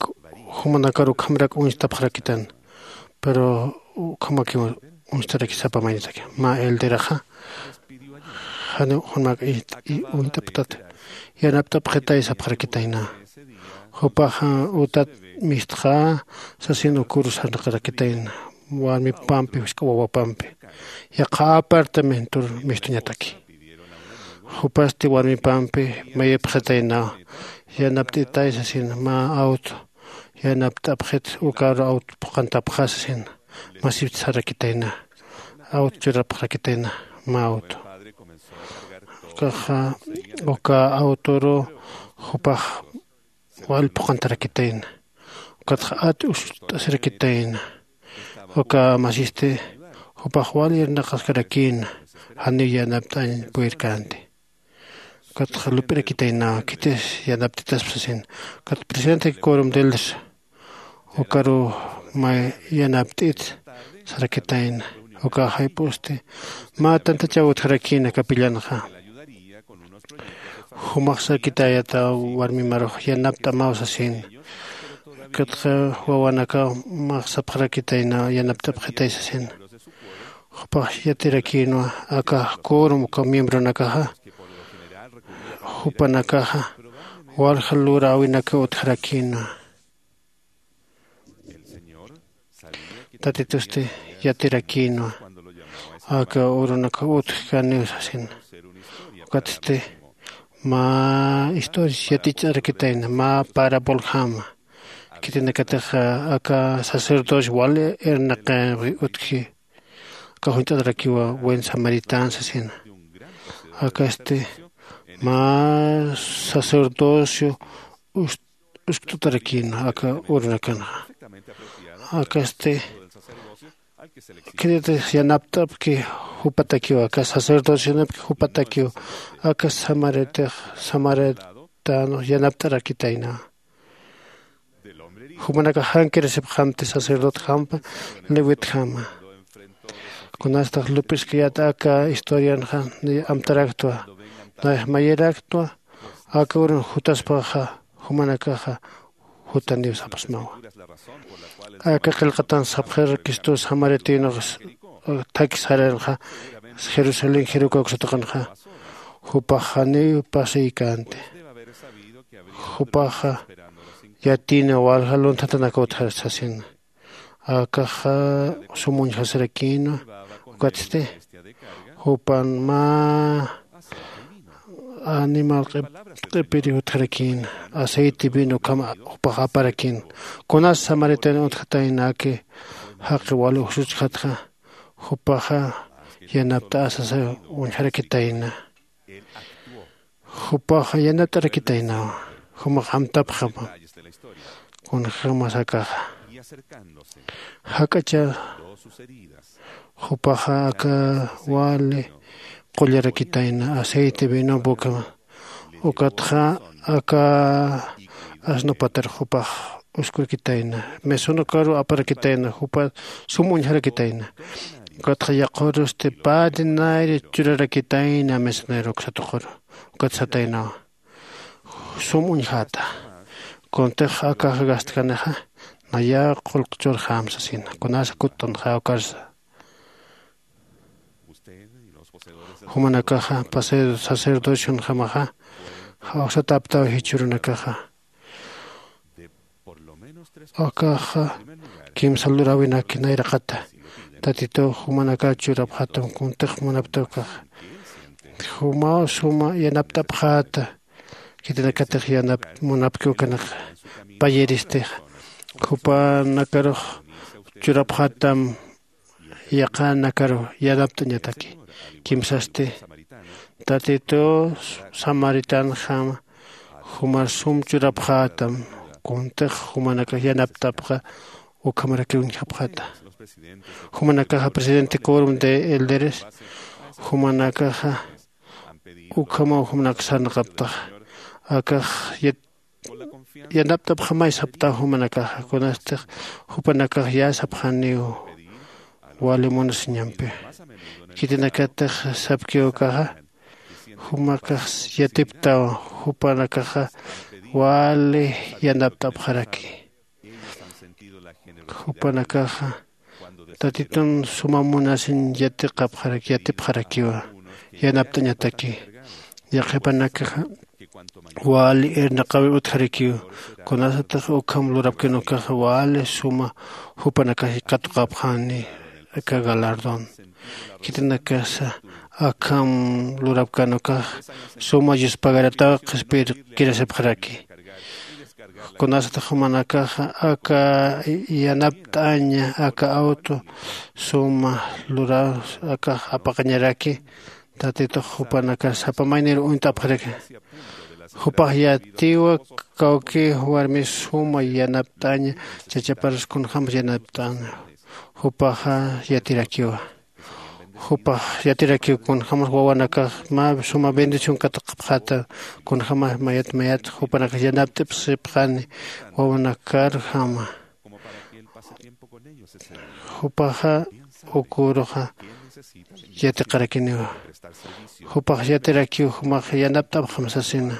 jumanakar ukhamarak uñstapxarakitayna. Pero ukhamakiw uñstarakisapa maynitaki mä elderaxa janiw junak uñt'aptat yanapt'apxitay sapxarakitayna. Jupaxa utat mistxa sasin ukur sarnaqarakitayna. Warmipampi jisk'a wawapampi yaqha apartamentor mistuñataki. Jupasti warmipampi mayipxitaynaw yanapt'itay sasin mä auto yanapt'apxit ukaru auto phuqantapxä sasin masiptsarakitayna. Auto churapxarakitayna mä auto ukaxa uka autoru jupax wal phuqantarakitayna. Ukatxa at usucht'asirakitayna. Uka masisti jupax wal irnaqaskarakïna janiw yanapt'añ puyirkänti. Ukatxa lup'irakitaynaw khitis yanapt'itaspa sasin. Ukat presidente corum de elders ukaru mä yanapt'it sarakitayna. Uka jayp'usti mä tantachaw utjarakïna capillanxa. Jumax sarakitayata warmi marux yanapt'amaw sasin. Ukatxa wawanakaw max sapxarakitayna yanapt'apxitay sasin. Jupax yatirakïnwa aka corum uka miembronakaxa jupanakaxa walja luräwinakaw utjarakïnwa. Tatitusti yatirakïnwa aka urunakaw utjkaniw sasin. Ukatsti mä historias yatich'arakitayna mä paraboljama. Khitinakatix aka sacerdocio wal irnaqinwi utji. Aka juñt'atarakiwa buen samaritán sasina. Akasti mä sacerdocio uskt'utarakïna aka urunakanxa. Akasti khitinakatix yanapt'apki jupatakiw aka sacerdocionapki jupatakiw aka samaritix samaritänux yanapt'arakitayna. Jumanakax jankirasipxamti sacerdotjampa levitjama. Kunastax lup'iskayät aka historianxa niy amtaraktwa nayax mayiraktwa. Aka urun jutaspaxa jumanakaxa jutaniw sapxsmawa. Aka qillqatan sapxir cristos samaritänux thakhi saranxa jerusalén jericó uksataqanxa jupax janiw pasiykänti. Jupaxa yatïna walja lunthatanakaw utjar sasina. Akaxa sum uñjasirakïna. Ukatsti jupan mä animal q'ipiri utjarakïna aceite vino ukham jupax aparakïna. Kunas samaritän utjatayna aka jaqi wali usuchjatxa jupaxa yanapt'asasa uñjarakitayna. Jupaxa yanapt'arakitaynawa. Jumax amtapxama kunjämas akaxa jak'acha jupaxa aka wali qullarakitayna aceite vino ukhama. Ukatxa aka asnupatar jupax uskurakitayna. Mesonukaru aparakitayna jupa sum uñjarakitayna. Ukatxa yaqurusti pä dinari churarakitayna misionero uksatuquru. Ukat sataynawa sum uñjäta. Kuntix akax gastkanixa naya qullq churxäm sasina kunasa kuttunxäw karsa. Jumanakaxa sacerdocionjamaxa jawsataptaw jichhürunakaxa. Akaxa kimsa luräwinak nayraqata tatituw jumanakaw churapxätam kuntix munapta ukaxa. Jumaw suma yanapt'apxäta. Khitinakatix yanap munapki ukanix payiristix jupanakarux churapxätam. Yaqhanakaru yanapt'añataki kimsasti tatituw samaritanjama jumar sum churapxätam. Kuntix jumanakax yanapt'apxa ukhamarakiw uñjapxäta. Jumanakaxa presidente quorum de elderes jumanakaxa ukhamaw jumanak sarnaqaptaxa. Akax yanapt'apxamay saptaw jumanakaxa kunastix jupanakax yäsapxaniw wali munasiñampi. Khitinakatix sapkiw ukaxa jumakax yatiptaw jupanakaxa wali yanapt'apxaraki. Jupanakaxa tatitun suma munasiñ yatiqapxarak yatipxarakiwa yanapt'añataki. Yaqhipanakaxa wali irnaqawi utjarakiw kunasatix ukham lurapkin ukaxa wali suma jupanakax katuqapxani. Aka galardón khitinakasa akham lurapkan ukax suma yuspagarataw qhispir kirasipxaraki. Kunasatix jumanakaxa aka yanapt'aña aka auto suma luraw akax apaqañaraki. Tatitux jupanakar sapa maynir uñt'apxaraki. Jupax yatiwa kawki warmi suma yanapt'aña chachaparas kunjämas yanapt'aña. Jupaxa yatirakiwa. Jupax yatirakiw kunjämas wawanakax mä suma bendición katuqapxäta. Kunjämas mayat mayat jupanakax yanapt'ipxsipxani wawanakarjama. Jupaxa uküruxa yatiqarakiniwa. Jupax yatirakiw jumax yanapt'apxam sasina.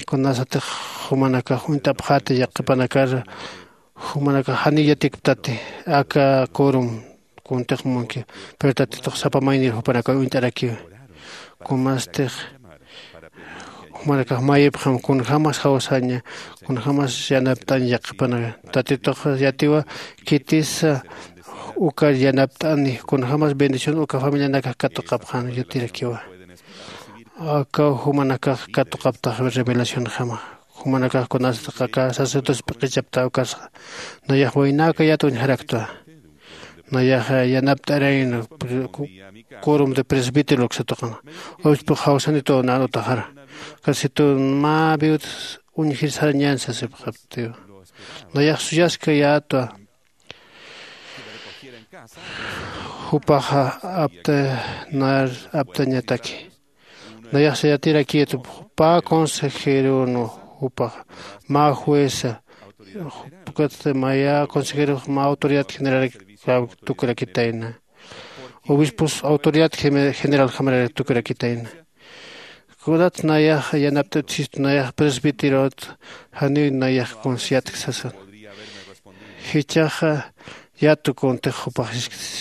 Kunasatix jumanakax uñt'apxäta yaqhipanakar jumanakax janiw yatikptati aka quorum kuntix munki. Pero tatitux sapa maynir jupanakaw uñt'arakiwa. Kunastix jumanakax mayipxam kunjämas jawsaña kunjämas yanapt'aña yaqhipanaka. Tatitux yatiwa khitisa ukar yanapt'ani kunjämas bendición uka familianakax katuqapxan yatirakiwa. Akaw jumanakax katuqaptax revelacionjama. Jumanakax kunasatix aka sacerdotes p'iqichapta ukasxa nayax waynäkayät uñjaraktwa. Nayaxa yanapt'arayna quorum de presbítero uksatuqana. Obispux jawsanituw nän utaxara. Kasituw mä viudas uñjir sarañän sasipxaptiw. Nayax suyaskayätwa. Jupaxa apta nar aptañataki. Nayaxsa yatirakïtwa pä consejeronwa. Jupaxa mä jueza ukatsti maya consejerox mä autoridad general tukurakitayna. Obispos autoridad general jamarar tukurakitayna. Kunat nayax yanapt'ut sistu nayax presbiterot janiw nayax kunsi yatk sasan. Jichhaxa yatu kuntix jupax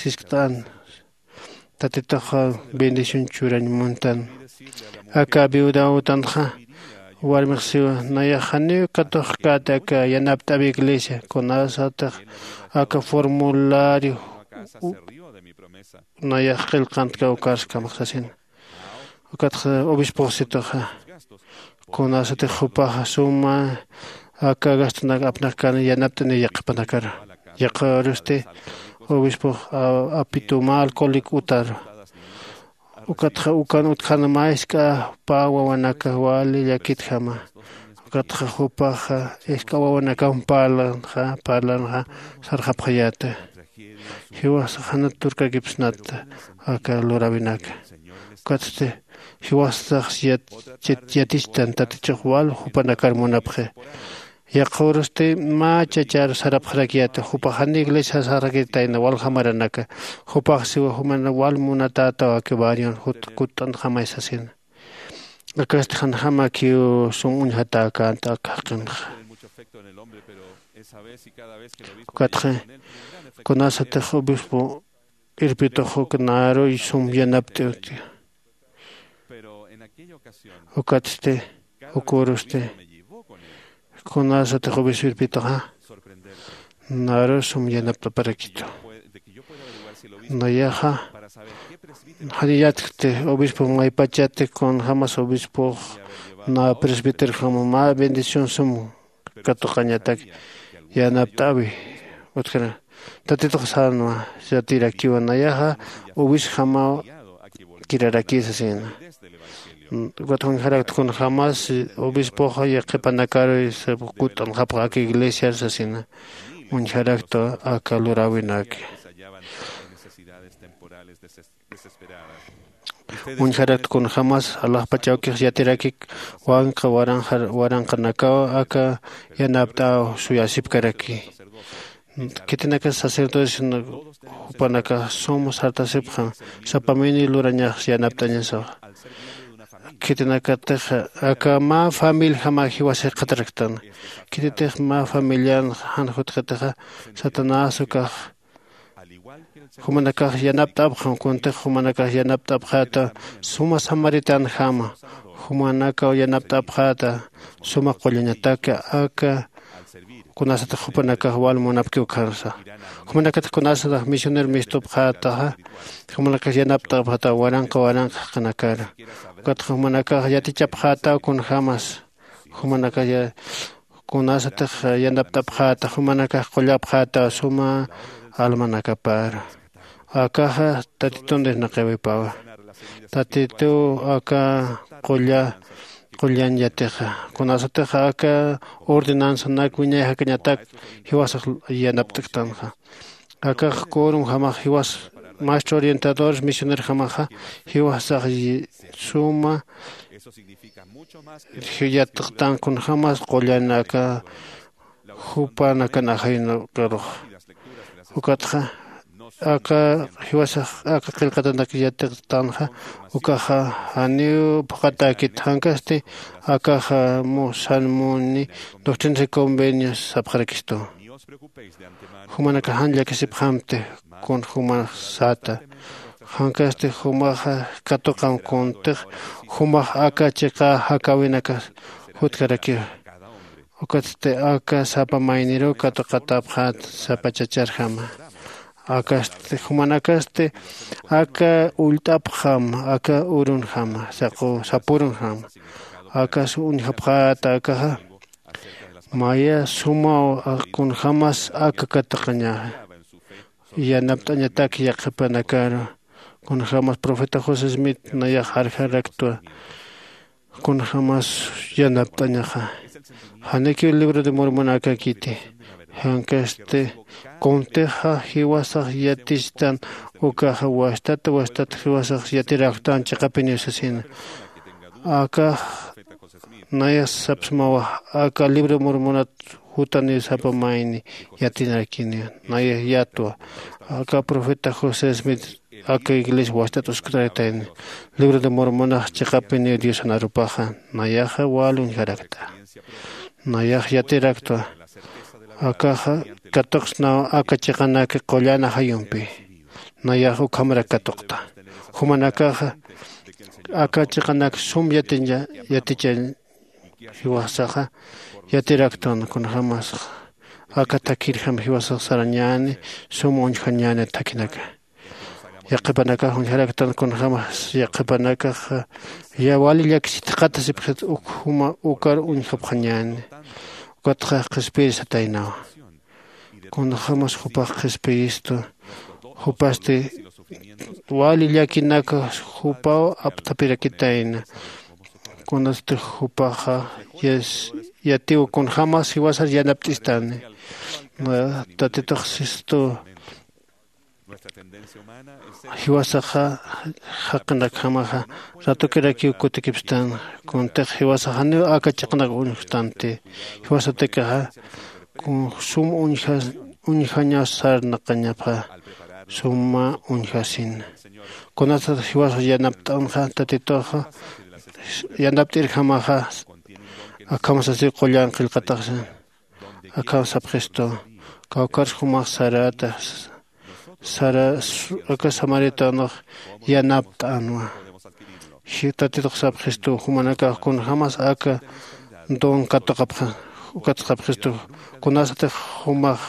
siskt'an. Tatitux bendición churañ muntan. Aka viudaw utanxa warmix siwa nayax janiw katuqkät aka yanapt'äwi iglesia kunasatix aka formulario nayax qillqantkaw ukarskamax sasina. Ukatxa obispux situxa kunasatix jupaxa suma aka gastunak apnakkan yanapt'ani yaqhipanakar. Yaqhirusti obispux apitu mä alcohólico utar. Ukatxa ukan utjana mä jisk'a pä wawanaka wali llakitjama. Ukatxa jupaxa jisk'a wawanakam parlanxa parlanxa sarxapxayäta. Jiwasax janat turkakipsnata aka luräwinaka. Ukatsti jiwasax yatichtan tatichux wal jupanakar munapxi. Yaqhürusti mä chachar sarapxarakiyäta jupax jani iglesia sasaxarakitayna waljamaranaka. Jupax siwa jumana wal munatätaw aka barrion jut kutt'antxamay sasina. Akasti janjamakiw sum uñjatäkänta aka jaqinxa. Ukatxa kunasatix obispo irpitux uk naruy sum yanapt'iwti. Ukatsti ukürusti kunasatix obispo irpituxa naru sum yanapt'aparakitu. Nayaxa janiyatkti obispo maypachati kunjämas obispox na presbíterojama mä bendición sum katuqañatak yanapt'äwi. Utjana tatitux sänwa yatirakiwa nayaxa ubisjamaw kiraraki sasina. Ukat uñjarakta kunjämas obispoxa yaqhipanakaru kutt'anxapxa aka iglesiar sasina. Uñjarakta aka luräwinaki. Uñjarakta kunjämas alaxpach awkix yatirakik wanqa waranqa waranqanakaw aka yanapt'äw suyasipkaraki. Khitinakas sacerdotes jupanakax sum sartasipxam sapamini lurañax yanapt'añasawa. Khitinakatix aka mä familjama jiwas jikxataraktan. Khititix mä familian jan jutxatixa satanás ukax jumanakax yanapt'apxam kuntix jumanakax yanapt'apxäta suma samaritanjama jumanakaw yanapt'apxäta suma qullañataka aka kunasatix jupanakax wal munapkiw khansa. Jumanakatix kunasatix misionero mistupxätaxa jumanakax yanapt'apxäta waranqa waranqa jaqinakara. Ukatxa jumanakax yatichapxätaw kunjämas jumanakax kunasatix yanapt'apxäta jumanakax qullapxäta suma almanakapar. Akaxa tatitun disnaqawipawa. Tatituw aka qulla qullañ yatixa kunasatix aka ordenanzanak wiñay jakañatak jiwasax yanapt'ktanxa. Akax quorum jamax jiwas maestro orientadores misioner jamaxa jiwasax suma yatxtan kunjämas qullan aka jupanakan ajayunkarux. Ukatxa aka jiwasax aka qillqatanak yatxtanxa ukaxa janiw phuqhatäkit jankasti akaxa musan muni doctrinas y convenios sapxarakistu. Jumanakax jan llakisipxamti kun jumax säta. Jankasti jumaxa katuqam kuntix jumax aka chiqa jakäwinakas jutkarakiwa. Ukatsti aka sapa mayniruw katuqatäpxät sapa chacharjama. Akasti jumanakasti aka ullt'apxam aka urunjama saqu sapurunjama. Akas uñjapxäta akaxa maya sumaw kunjämas aka katuqañaxa yanapt'añatak yaqhipanakaru. Kunjämas profeta josé smith nayax jarjaraktwa kunjämas yanapt'añaxa. Janikiw libro de mormonakakiti jankasti kuntixa jiwasax yatistan ukaxa wastat wastat jiwasax yatiraktan chiqapiniw sasina. Akax naya sapsmawa aka libro mormonat jutaniw sapa mayni yatinarakiniw. Naya yatwa aka profeta josé smith aka iglesia wastat usktaritayni. Libro de mormonax chiqapiniw diosan arupaxa nayaxa wal uñjarakta. Nayax yatiraktwa akaxa katuqsnaw aka chiqanak qullan ajayumpi. Nayax ukhamarak katuqta. Jumanakaxa aka chiqanak sum yatiña yatichañ jiwasaxa yatiraktan kunjämas aka thakirjam jiwasax sarañäni sum uñjañäni thakinaka. Yaqhipanakax uñjaraktan kunjämas yaqhipanakaxa ya wali llakisitxatasipxit uk juma ukar uñjapxañäni. Ukatxa qhispirisataynawa. Kunjämas jupax qhispiyistu jupasti wali llakinaka jupaw apthapirakitayna. Kunasti jupaxa yatiw kunjämas jiwasar yanapt'istani. Tatitux sistu Jiwasaxa jaqinakjamaxa ratukirakiw kutikipstan. Kuntix jiwasaxa janiw aka chiqanak uñjtanti. Jiwasatikaxa kun sum uñja uñjañaw sarnaqañapxa suma uñjasin. Kunasat jiwasa yanapt'anxa tatituxa yanapt'irjamaxa akham sasiw qullan qillqataxsin. Akham sapxistu kawkharsa jumax sarata sara aka samaritanux yanapt'anwa. Tatitux sapxistu jumanakax kunjämas aka don katuqapxa ukat sapxistu kunasatix jumax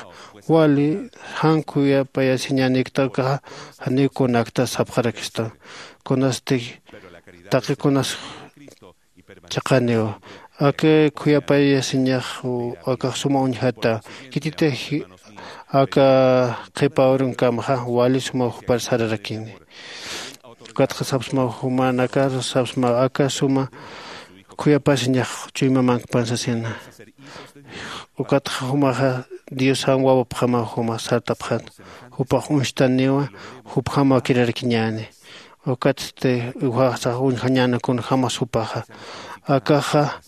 wali jan khuyapayasiñänikta ukaxa janiw kunakta sapxarakistu. Kunasatix taqi kunas chiqaniw aka khuyapayasiñax akax suma uñjata. Khititix aka qhipa urunkamxa wali suma jupar sararakini. Ukatxa sapsma jumanakar sapsma aka suma khuyapasiñax chuymamankpan sasina. Ukatxa jumaxa diosan wawapxama juma sartapxat. Jupax uñstaniwa jupjam wakirarkiñäni. Ukatsti ujaxsax uñjañäna kunjämas jupaxa. Akaxa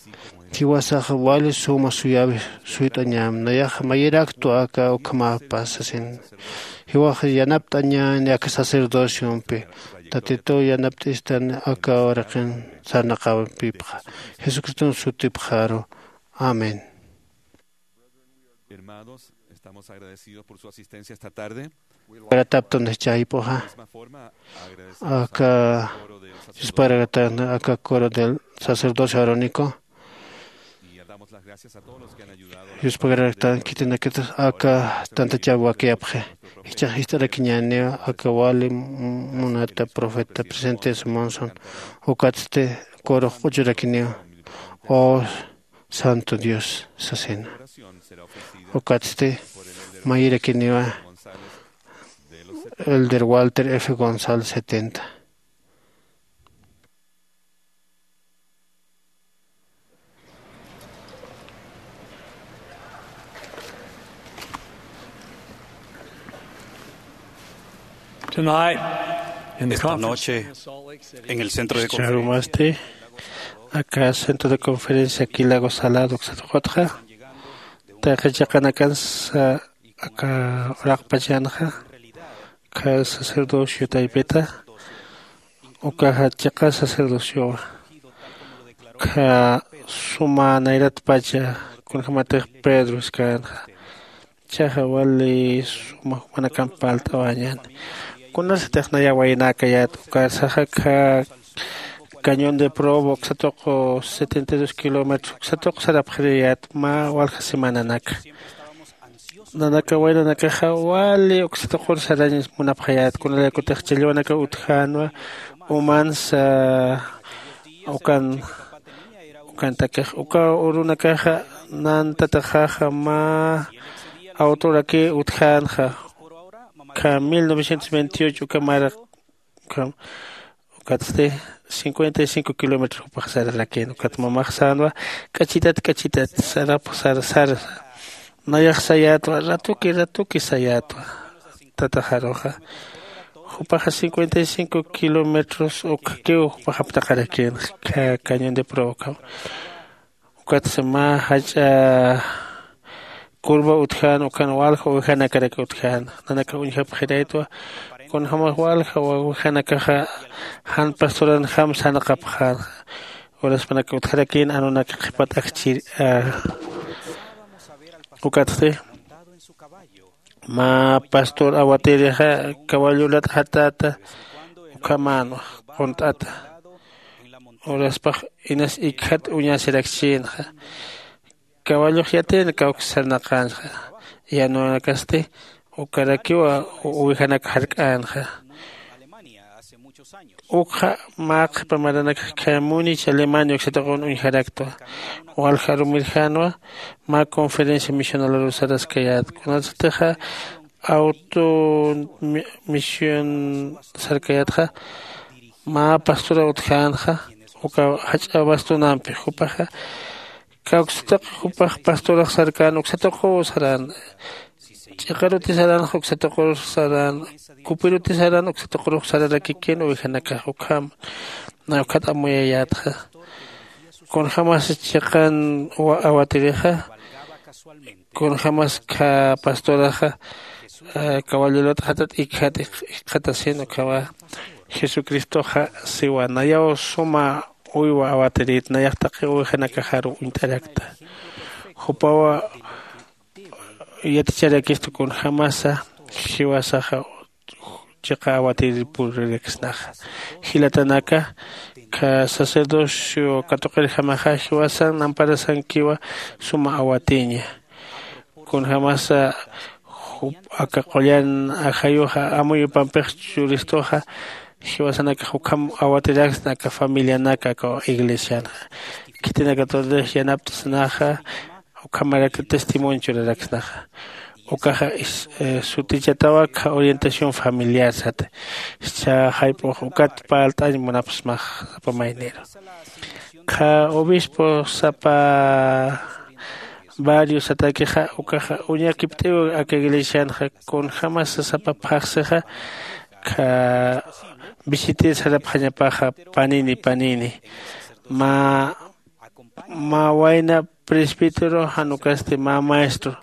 jiwasax wali suma suyäwi suyt'añäm nayax mayiraktwa aka ukhamapas sasin. Jiwax yanapt'añäni aka sacerdociompi. Tatituw yanapt'istan aka uraqin sarnaqäwipxa jesucriston sutipxaru. Amén. Hermanos, estamos agradecidos por su asistencia esta tarde. Warataptunix chaypuxa aka yuspagaratan aka coro del sacerdocio arónico. Yuspagaratan khitinakitas aka tantachaw wakiyapxi. Jichhax jist'arakiñäniwa aka wali munata profeta presente simonson. Ukatsti corox q'uchurakiniwa. Oh santo dios sasina. Ukatsti mayirakiniwa elder walter f gonzález setenta. Tonight, in the Esta conference noche, en el centro de conferencia, charumasti aka centro de conferencia kilago salado ksatuqutxa taqi chiqanakansa aka uraqpachanxa kha sacerdocio taypita ukaxa chiqa sacerdociowa kha suma nayratpacha kunjämatix pedro iskänxa. Chaxa wali suma jumanakamp palt'awañäni. Kunasatix naya waynäkayät ukarsaxa kha cañón de probo uksatuq setenta y dos kilómetros uksatuq sarapxiriyät mä walja semananaka. Nanaka waynanakaxa wali uksatuqur sarañ munapxayät kunalaykutix challwanakaw utjänwa umansa ukan ukantakix uka urunakaxa nantataxaxa mä awturakï utjänxa. Kha mil novecientos veintiocho uka mara ukham ukatsti cincuenta y cinco kilómetros jupax sararakïn ukat mamax sänwa k'achitat k'achitat sarapx sar sar nayax sayätwa ratuki ratuki sayätwa. Tataxaruxa jupaxa cincuenta y cinco kilómetros ukhakiw jupax aptaqarakïn kha cañón de provoca. Ukatsa mä jach'a curva utjän ukan walja uwijanakarak utjän nanakax uñjapxiraytwa. Kunjämax walja uwijanakaxa jan pastoranjam sarnaqapxän uraspanak utjarakïn anunak qhipat akchir. Ukatsti mä pastor awatirixa caballo lat'ajatäta ukhamänwa qunt'ata uraspax inas ikjat uñasirakchïnxa. Caballux yatiyna kawk sarnaqänxa yanunakasti ukarakiwa uwijanak jark'änxa. Ukxa mä qhipa maranakax khamunich alemania uksataqun uñjaraktwa walja arumirjänwa. Mä conferencia misional arusaraskayät kunasatixa auto mision sarkayätxa mä pastora utjänxa uka jach'a bastonampi jupaxa kawksataq jupax pastorax sarkän uksataq juw sarän. Ch'iqaruti saranxa uksa tuqurux saran kupiruti saran uksa tuqurux sararakikin ovejanakax ukham. Ukhat amuyayätxa kunjämas chiqan awatirixa kunjämas kha pastoraxa kawallilut jatat ikjat ikxatasin ukhama. Jesucristoxa siwa nayaw suma uywa awatirit nayax taqi ovejanakaxaru uñt'arakta. Jupawa yaticharakistu kunjämasa jiwasaxa chiqa awatir puriraksnaxa. Jilatanaka kha sacerdocio katuqirjamaxa jiwasan namparasankiwa suma awatiña. Kunjämasa aka qullan ajayuxa amuyupampix churistuxa jiwasanakax ukham awatiraksna aka familianaka aka iglesianxa. Khitinakatutix yanapt'snaxa ukhamarak testimonio churaraksnaxa. Ukaxa sutichatawa kha orientación familiar sata. Cha jayp'ux ukat parlt'añ munapxsmax sapa mayniru kha obispo sapa barrio satakixa ukaxa uñakipt'iw aka iglesianxa. Kunjämasa sapa phaxsixa kha visitir sarapxañapaxa panini panini mä mä wayna presbítero jan ukasti mä maestro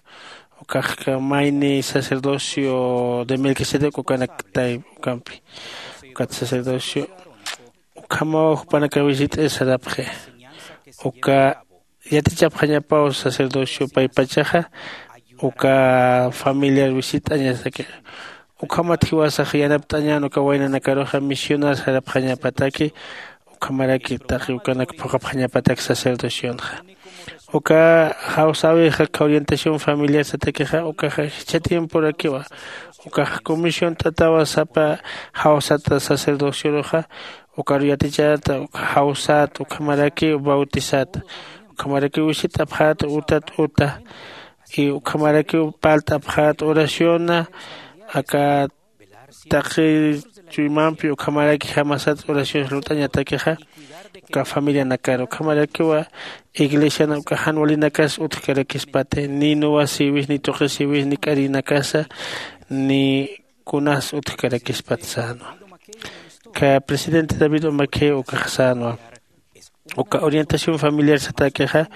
ukax mayni sacerdocio de melquisedec ukanak tayp ukampi ukat sacerdocio ukhamaw jupanakax visit'ir sarapxi. Uka yatichapxañapaw sacerdocio paypachaxa uka familiar visit'añasaki. Ukhamat jiwasax yanapt'añän uka waynanakaruxa misionar sarapxañapataki ukhamaraki taqi ukanak phuqhapxañapatak sacerdocionxa. Uka jawsäwixa kha orientación familiar satakixa ukaxa jichha tiemporakiwa ukax comisión t'atawa sapa jawsata sacerdocioruxa ukaru yatichäta jawsäta ukhamarakiw bautizäta ukhamarakiw wisit'apxäta utat uta y ukhamarakiw parlt'apxäta oraciona aka taqi chuymampi ukhamaraki jamasat oraciones lurt'añatakixa uka familianakar ukhamarakiwa iglesiana uka jan walinakas utjkarakispati ni nuwasiwis ni tuqisiwis ni k'arinakasa ni kunas utjkarakispat sänwa. Kha presidente david umakhe ukax sänwa uka orientación familiar satakixa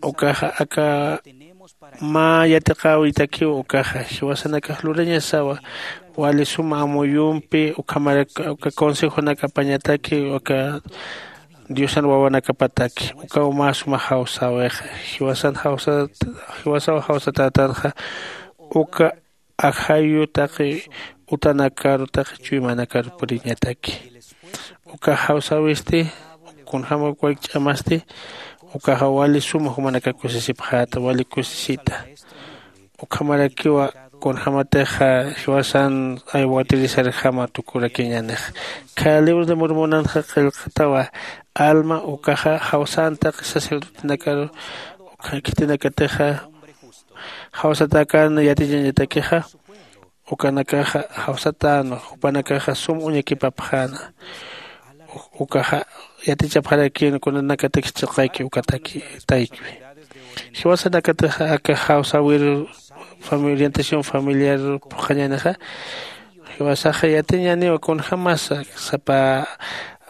ukaxa aka mä yatiqäwitakiw ukaxa jiwasanakax lurañasawa wali suma amuyumpi ukhamarak uka consejonakapañataki uka diosan wawanakapataki ukaw mä suma jawsäwixa jiwasan jawsa jiwasaw jawsatätanxa uka ajayu taqi utanakaru taqi chuymanakaru puriñataki. Uka jawsäwisti kunjämak walik ch'amasti ukaxa wali suma jumanaka kusisipxäta wali kusisita. Ukhamarakiwa kunjämatixa jiwasan aywatirisarjama tukurakiñanix. Kha libro de murmunanxa qillqatawa alma ukaxa jawsän taqi sacerdotenakaru ukha khitinakatixa jawsatäkän yatichañatakixa ukanakaxa jawsatänwa jupanakaxa sum uñakipapxäna. Ukaxa yatichapxarakïn kunanakatakis chiqayki ukataki taykiwi. Jiwasanakataxa aka jawsäwir orientación familiar phuqhañänixa jiwasaxa yatiñäniwa kunjämasa sapa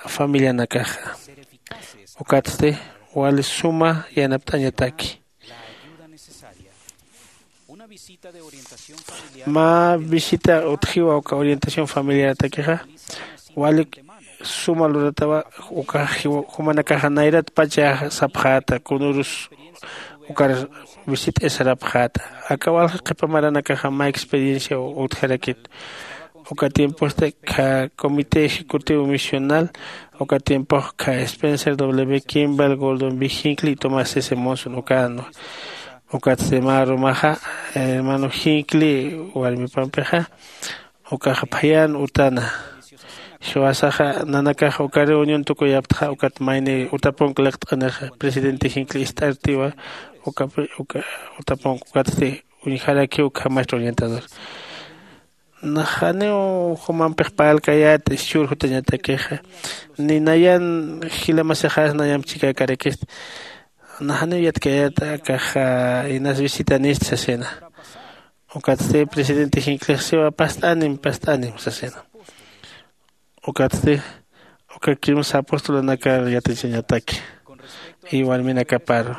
familianakaxa. Ukatsti wali suma yanapt'añataki. Mä visita utjiwa uka orientación familiaratakixa walik suma luratawa uka jumanakaxa nayratpacha sapxäta kunürus ukar visit'isarapxäta. Aka walja qhipa maranakaxa mä experiencia utjarakit. Uka tiemposti kha comité ejecutivo misional uka tiempox kha spencer w kimball gordon b hinckley y tomás s monson ukanwa. Ukatsti mä rumaxa hermano hinckley warmipampixa ukaxa phayän utana. Jiwasaxa nanakaxa uka reunión tukuyaptxa ukat mayni utapunka liqt'anixa presidente hinckley ist'artiwa ukapi uka utapunka ukatsti uñjarakiw ukhamacht'u orientador. Nax janiw jumampix parlkayät ischhür jutañatakixa ni nayan jilamasixas nayamp chikäkarakista. Nax janiw yatkayät akaxa inas visitanist sasina. Ukatsti presidente jinklixsiwa past'anim past'anim sasina. Ukatsti uka kimsa apostolanakar yatichañataki y warminakaparu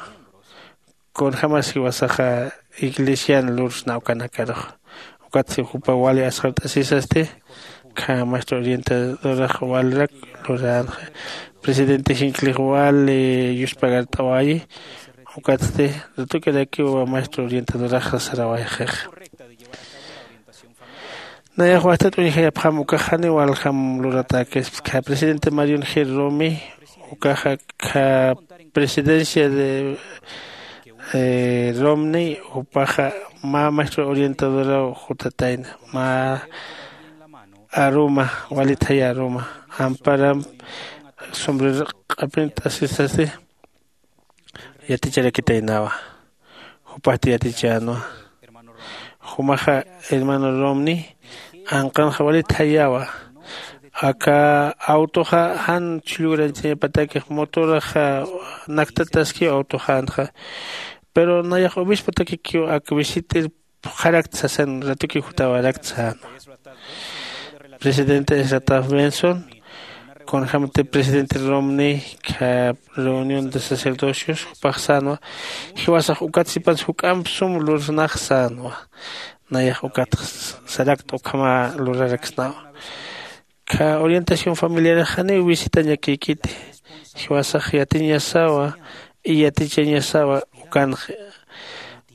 kunjämas jiwasaxa iglesian lursna ukanakarux. Ukatsti jupa wali asxart'asisasti kha maestro orientadorax walirak luränxa. Presidente jinklix wali yuspagart'awayi. Ukatsti ratukirakiw maestro orientadorax sarawayxixa. Nayax wastat uñjayapxam ukax janiw waljam luratäkispa kha presidente marion g romi ukaxa kha presidencia de romney jupaxa mä maestro orientadoraw jutatayna mä aruma walitjaya aruma amparam sombrero q'apint'asisasti yaticharakitaynawa. Jupasti yatichänwa jumaxa hermano romney anqanxa walitjayawa. Aka autoxa jan chhullugrañchañapatakix motoraxa naktataskiw autoxänxa. Pero nayax obisputakikiw ak visit'ir phuqharakta sasan ratukiw jutawarakta sänwa. Presidente esataf benson kunjämati presidente romney kha reunión de sacerdocios jupax sänwa. Jiwasax ukat sipansa juk'amp sum lursnax sänwa. Nayax ukat sarakt ukhama luraraksnawa. Kha orientación familiarax janiw visitañakïkiti. Jiwasax yatiñasawa y yatichañasawa ukanx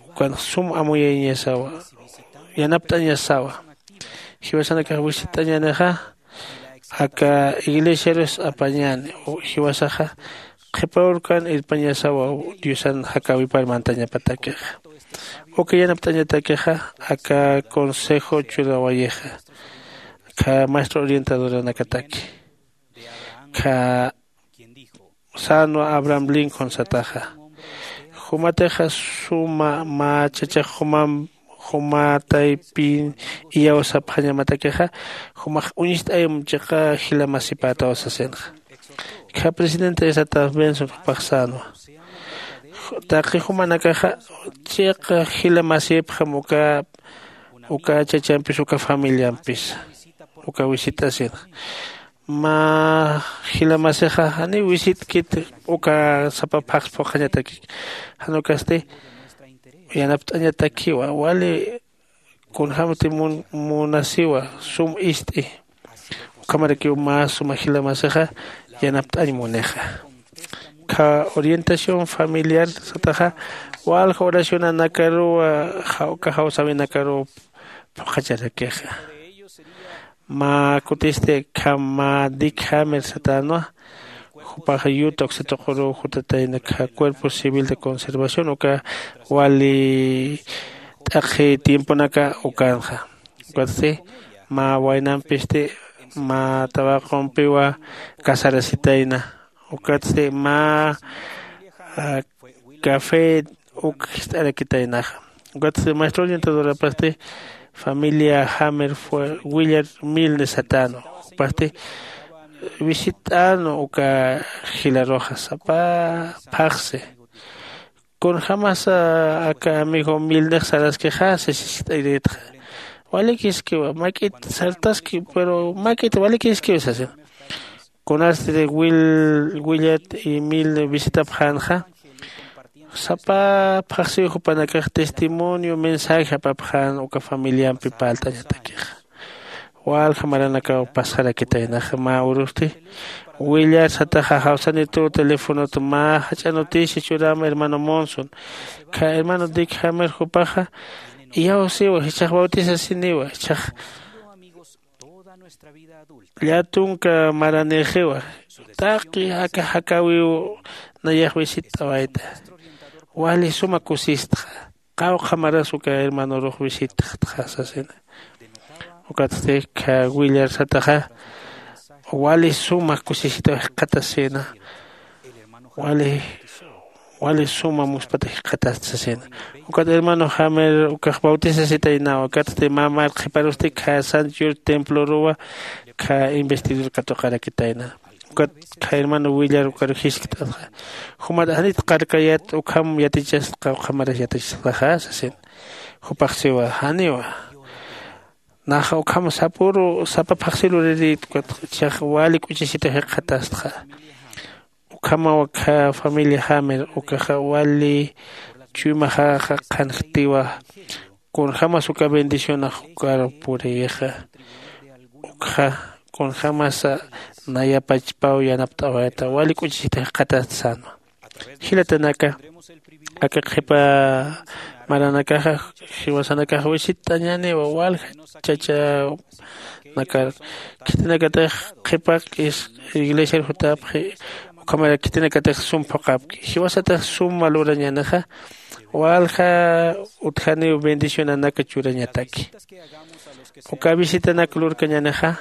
ukanx sum amuyañasawa yanapt'añasawa. Jiwasanakax visit'añänixa aka iglesiarus apañäni jiwasaxa qhipa urkan irpañasawa diosan jakäwipar mantañapatakixa. Uka yanapt'añatakixa aka consejo churawayixa kha maestro orientadoranakataki kha sänwa abraham lincoln sataxa. Jumatixa suma mä chachax jumam juma taypin iyawsapxañamatakixa jumax uñist'ayam chiqa jila masipätaw sasinxa. Kha presidente esataf benson jupax sänwa taqi jumanakaxa chiqa jila masipxam uka uka chachampis uka familiampis uka visit'asinxa. Mä jila masixa janiw visitkit uka sapa phaxs phuqhañatakik jan ukasti yanapt'añatakiwa wali kunjämti munasiwa sum ist'i. Ukhamarakiw mä suma jila masixa yanapt'añ munixa. Kha orientación familiar sataxa walja oracionanakaruwa uka jawsäwinakaruw phuqhacharakixa. Mä kutisti akham mä dick hammer satänwa. Jupax yuta uksatuquruw jutatayna kha cuerpo civil de conservación uka wali t'aqhi tiemponaka ukanxa. Ukatsti mä waynampisti mä tawaqumpiwa casarasitayna. Ukatsti mä café uk jist'arakitaynaxa. Ukatsti maestro orientadorapasti familia hammer fue willard milne satänwa. Jupasti visit'änwa uka jilaruxa sapa phaxsi. Kunjämasa aka amigo milnex saraskixa sisist'ayiritxa. Walikiskiwa mak'it sartaski pero mak'it walikiskiwa sasina. Kunasti willard y milne visitapxänxa sapa phaxsiw jupanakax testimonio mensaje apapxän uka familiampi parlt'añatakixa. Walja maranakaw pasxarakitaynaxa mä urusti willard sataxa jawsanituw telefonot mä jach'a noticia churäma hermano monson. Kha hermano dick hammer jupaxa iyawsiwa jichhax bautisasiniwa jichhax llatunka maranïxiwa. Taqi aka jakäwiw nayax visitt'awayta wali suma kusistxa. Qawqha maras uka hermanorux visitxtxa sasina. Ukatsti kha willard sataxa wali suma kusisitaw jikxatasina. Wali wali suma muspata jikxatasta sasina. Ukat hermano hammer ukax bautisasitaynawa ukatsti mä marqhiparusti kha sanchur temploruwa kha investidur katuqarakitayna. Ukat kha hermano willard ukaru jiskt'atxa jumat janit qarkayät ukham yatichasta qawqha maras yatichasxtaxa sasina. Jupaxsiwa janiwa. Naxa ukham sapuru sapa phaxsi luririy ukat. Chax wali k'uchisita jikxatastxa. Ukhamaw akha familia jamer ukaxa wali chuymaxaxa qhanjtiwa. Kunjämas uka bendicionax ukar puriyixa. Ukxa kunjämasa nayapachpaw yanapt'awayta wali k'uchisita jikxatast sänwa. Jilatanaka, aka qhipa maranakaxa jiwasanakax wisitt'añäniwa walja chachanakar. Khitinakatix qhipa iglesiar jutapxi. Ukhamarak khitinakatix sum phuqhapki jiwasatix suma lurañänixa. Walja utjaniw bendicionanaka churañataki. Uka visitanak lurkañänixa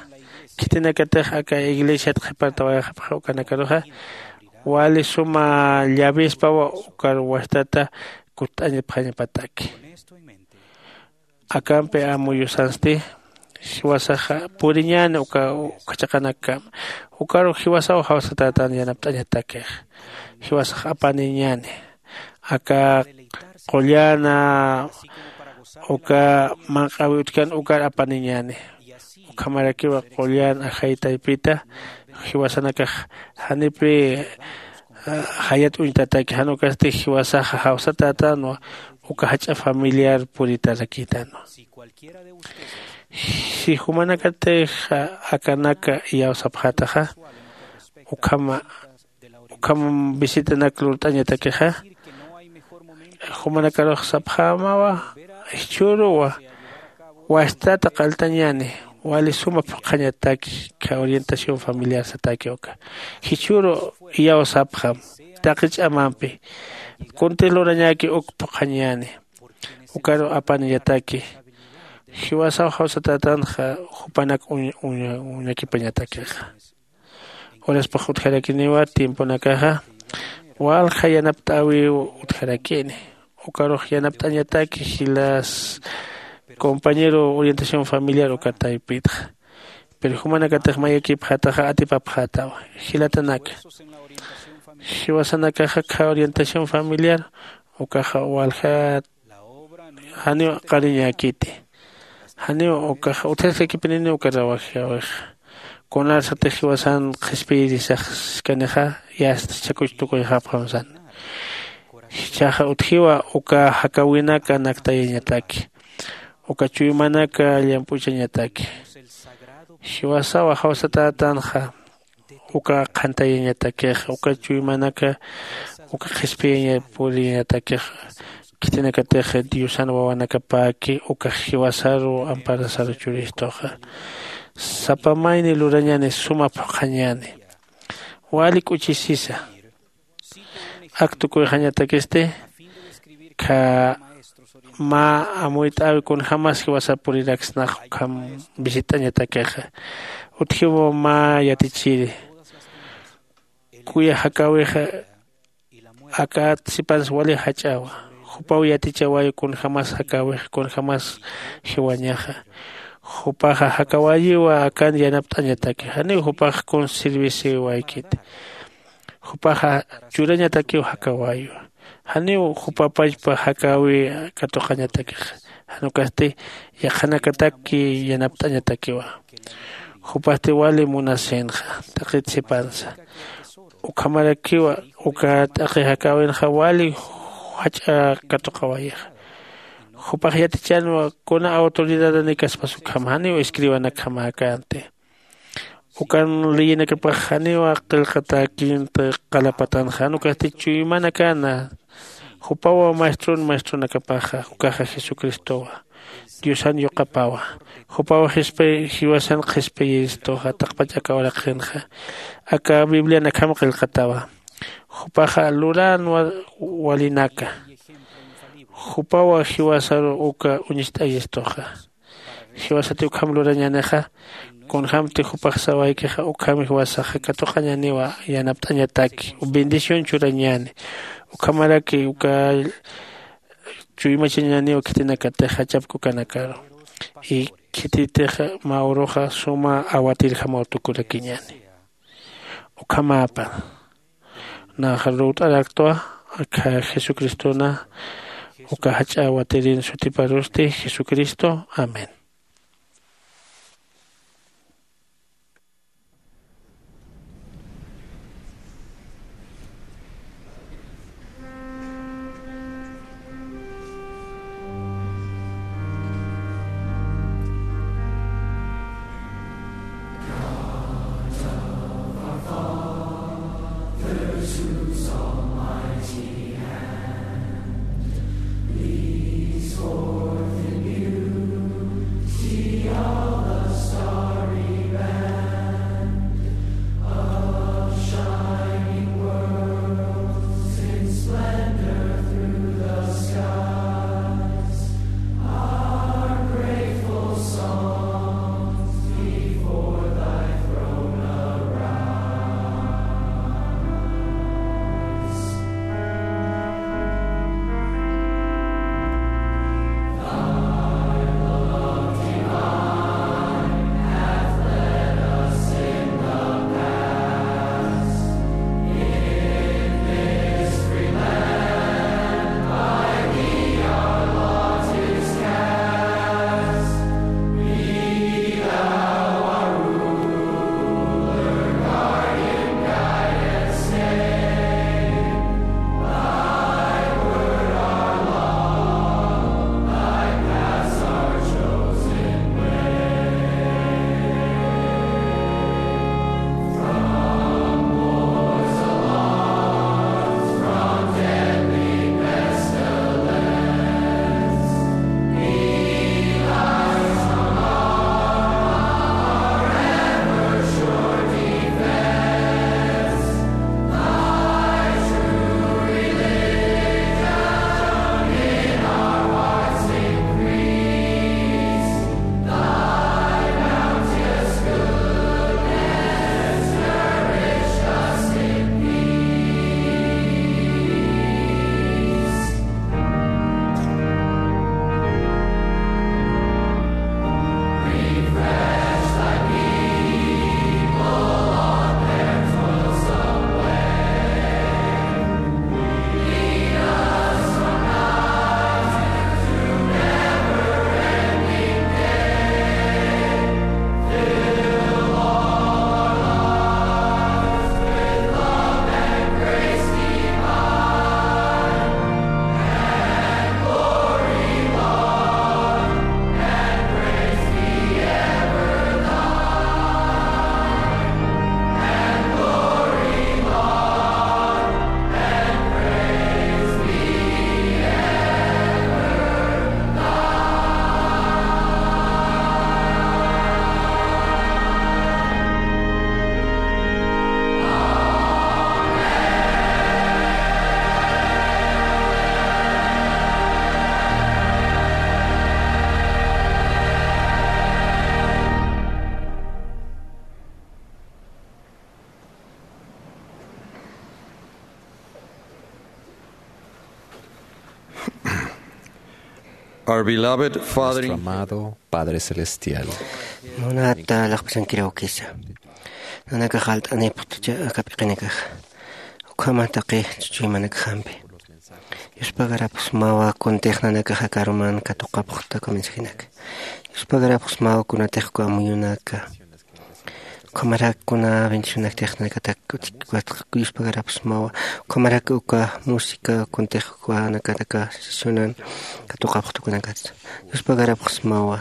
khitinakatix aka iglesiat qhipartawayxapxa ukanakaruxa wali suma llavispawa ukar wastata kutt'añapxañapataki. Akampi amuyusansti jiwasaxa puriñäni uka uka chiqanakama. Ukaru jiwasaw jawsatätan yanapt'añatakix jiwasax apaniñäni. Aka qullana uka manq'awi utjkan ukar apaniñäni. Ukhamarakiwa qullan ajay taypita jiwasanakax janipi jayat uñtataki jan ukasti jiwasaxa jawsatätanwa uka jach'a familiar puritarakïtanwa. Si jumanakatix akanaka iyawsapxätaxa ukhama ukham visitanak lurt'añatakixa jumanakarux sapxämawa jichhüruwa wastata qalltañäni wali suma phuqhañataki kha orientación familiar sataki uka jichhüru iyawsapxam taqi ch'amampi kunti lurañäki uk phuqhañäni ukaru apaniñataki jiwasaw jawsatätanxa jupanak uñakipañatakixa. Uraspax utjarakiniwa tiemponakaxa walja yanapt'äwiw utjarakini ukarux yanapt'añataki jilas compañero orientación familiar uka taypitxa. Pero jumanakatix mayakipxätaxa atipapxätawa jilatanaka jiwasanakaxa kha orientación familiar ukaxa waljat janiw qariñäkiti. Janiw ukaxa utjaskakipininiw uka rawajiyäwixa kunarsatix jiwasan qhispiyirisaxskanixa yasta chakuch tukuyxapxam san. Jichhaxa utjiwa uka jakäwinaka naktayañataki uka chuymanaka llamp'uchañataki jiwasawa jawsatätanxa uka qhantayañatakixa uka chuymanaka uka qhispiyaña puriyañatakixa. Khitinakatix diosan wawanakapäki ukax jiwasaru amparasaru churistuxa sapa mayni lurañäni suma phuqhañäni wali k'uchisisa. Ak tukuyxañatakisti kha mä amuyt'äwi kunjämas jiwasar puriraksnax ukham visit'añatakixa. Utjiw mä yatichiri kuya jakäwixa akat sipansa wali jach'awa jupaw yatichawayi kunjämas jakäwix kunjämas jiwañaxa. Jupaxa jakäwayiwa akan yanapt'añataki janiw jupax kun serviciwaykiti. Jupaxa churañatakiw jakäwayiwa janiw jupapachpa jakäwi katuqañatakixa. Jan ukasti yaqhanakataki yanapt'añatakiwa jupasti wali munasinxa taqit sipansa. Ukhamarakiwa uka t'aqi jakäwinxa wali jach'a katuqawayixa. Jupax yatichänwa kuna autoridadanïkaspas ukham janiw escribanakjamäkänti. Ukan leyinakapax janiw qillqatäkïnti qalapatanxa jan ukasti chuymanakana. Jupawa maestron maestronakapaxa ukaxa jesucristowa diosan yuqapawa. Jupawa jiwasan qhispiyiristuxa taqpach aka uraqinxa aka biblian akham qillqatawa. Jupaxa luränwa walinaka jupawa jiwasaru uka uñist'ayistuxa. Jiwasati ukham lurañänixa kunjämti jupax sawaykixa ukham jiwasaxa katuqañäniwa yanapt'añataki bendición churañäni. Ukhamaraki uka chuymachañäniw khitinakatix jach'apki ukanakaru. Y khititix mä uruxa suma awatirjamaw tukurakiñäni. Ukhamäpan nax lurt'araktwa akha jesucristona Uka jach'a watirin sutiparusti Jesucristo. Amén. Our beloved Father in Nuestro amado Padre Celestial. Munata laqpasankiraw kisa. Nanakax alt'anipxtucha aka p'iqinakaxa. Ukhama taqi chuchuymanakjampi. Yuspagarapxsmawa kuntix nanakax aka aruman katuqapxta aka mensajinaka. Yuspagarapxsmawa kunatix uka amuyunaka. Ukhamarak kuna bendicionaktix nanakatak utjik watx yuspagarapxsmawa. Ukhamarak uka música kuntix uka nanakataka sesionan katuqapxta ukanakatsa. Yuspagarapxsmawa.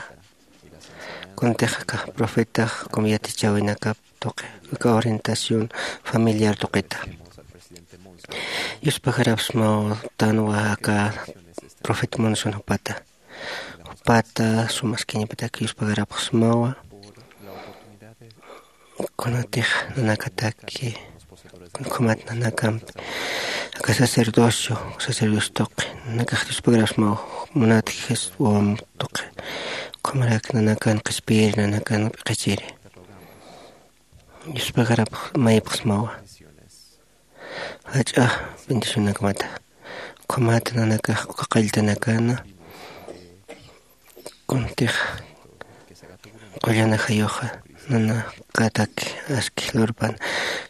Kuntix aka profetax ukham yatichäwinakap tuqi, aka orientación familiar tuqita. Yuspagarapxsmawa tanwa aka profeta Monson jupata. Jupata sumaskiñapatak yuspagarapxsmawa. Kunatix nanakataki, kun ukhamat nanakampi aka sacerdocio, sacerdocio tuqi, nanakax yuspagarapxsmawa, munat Jesús wawam tuqi. Ukhamarak nanakan qhispiyiri, nanakan p'iqichiri. Yuspagarapx-, mayipxsmawa. Jach'a bendicionakmata. Ukhamat nanakax uka qalltanakana. Kuntix qullana jayuxa nanakataki aski lurpan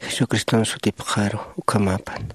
Jesucriston sutipxaru ukhamapan.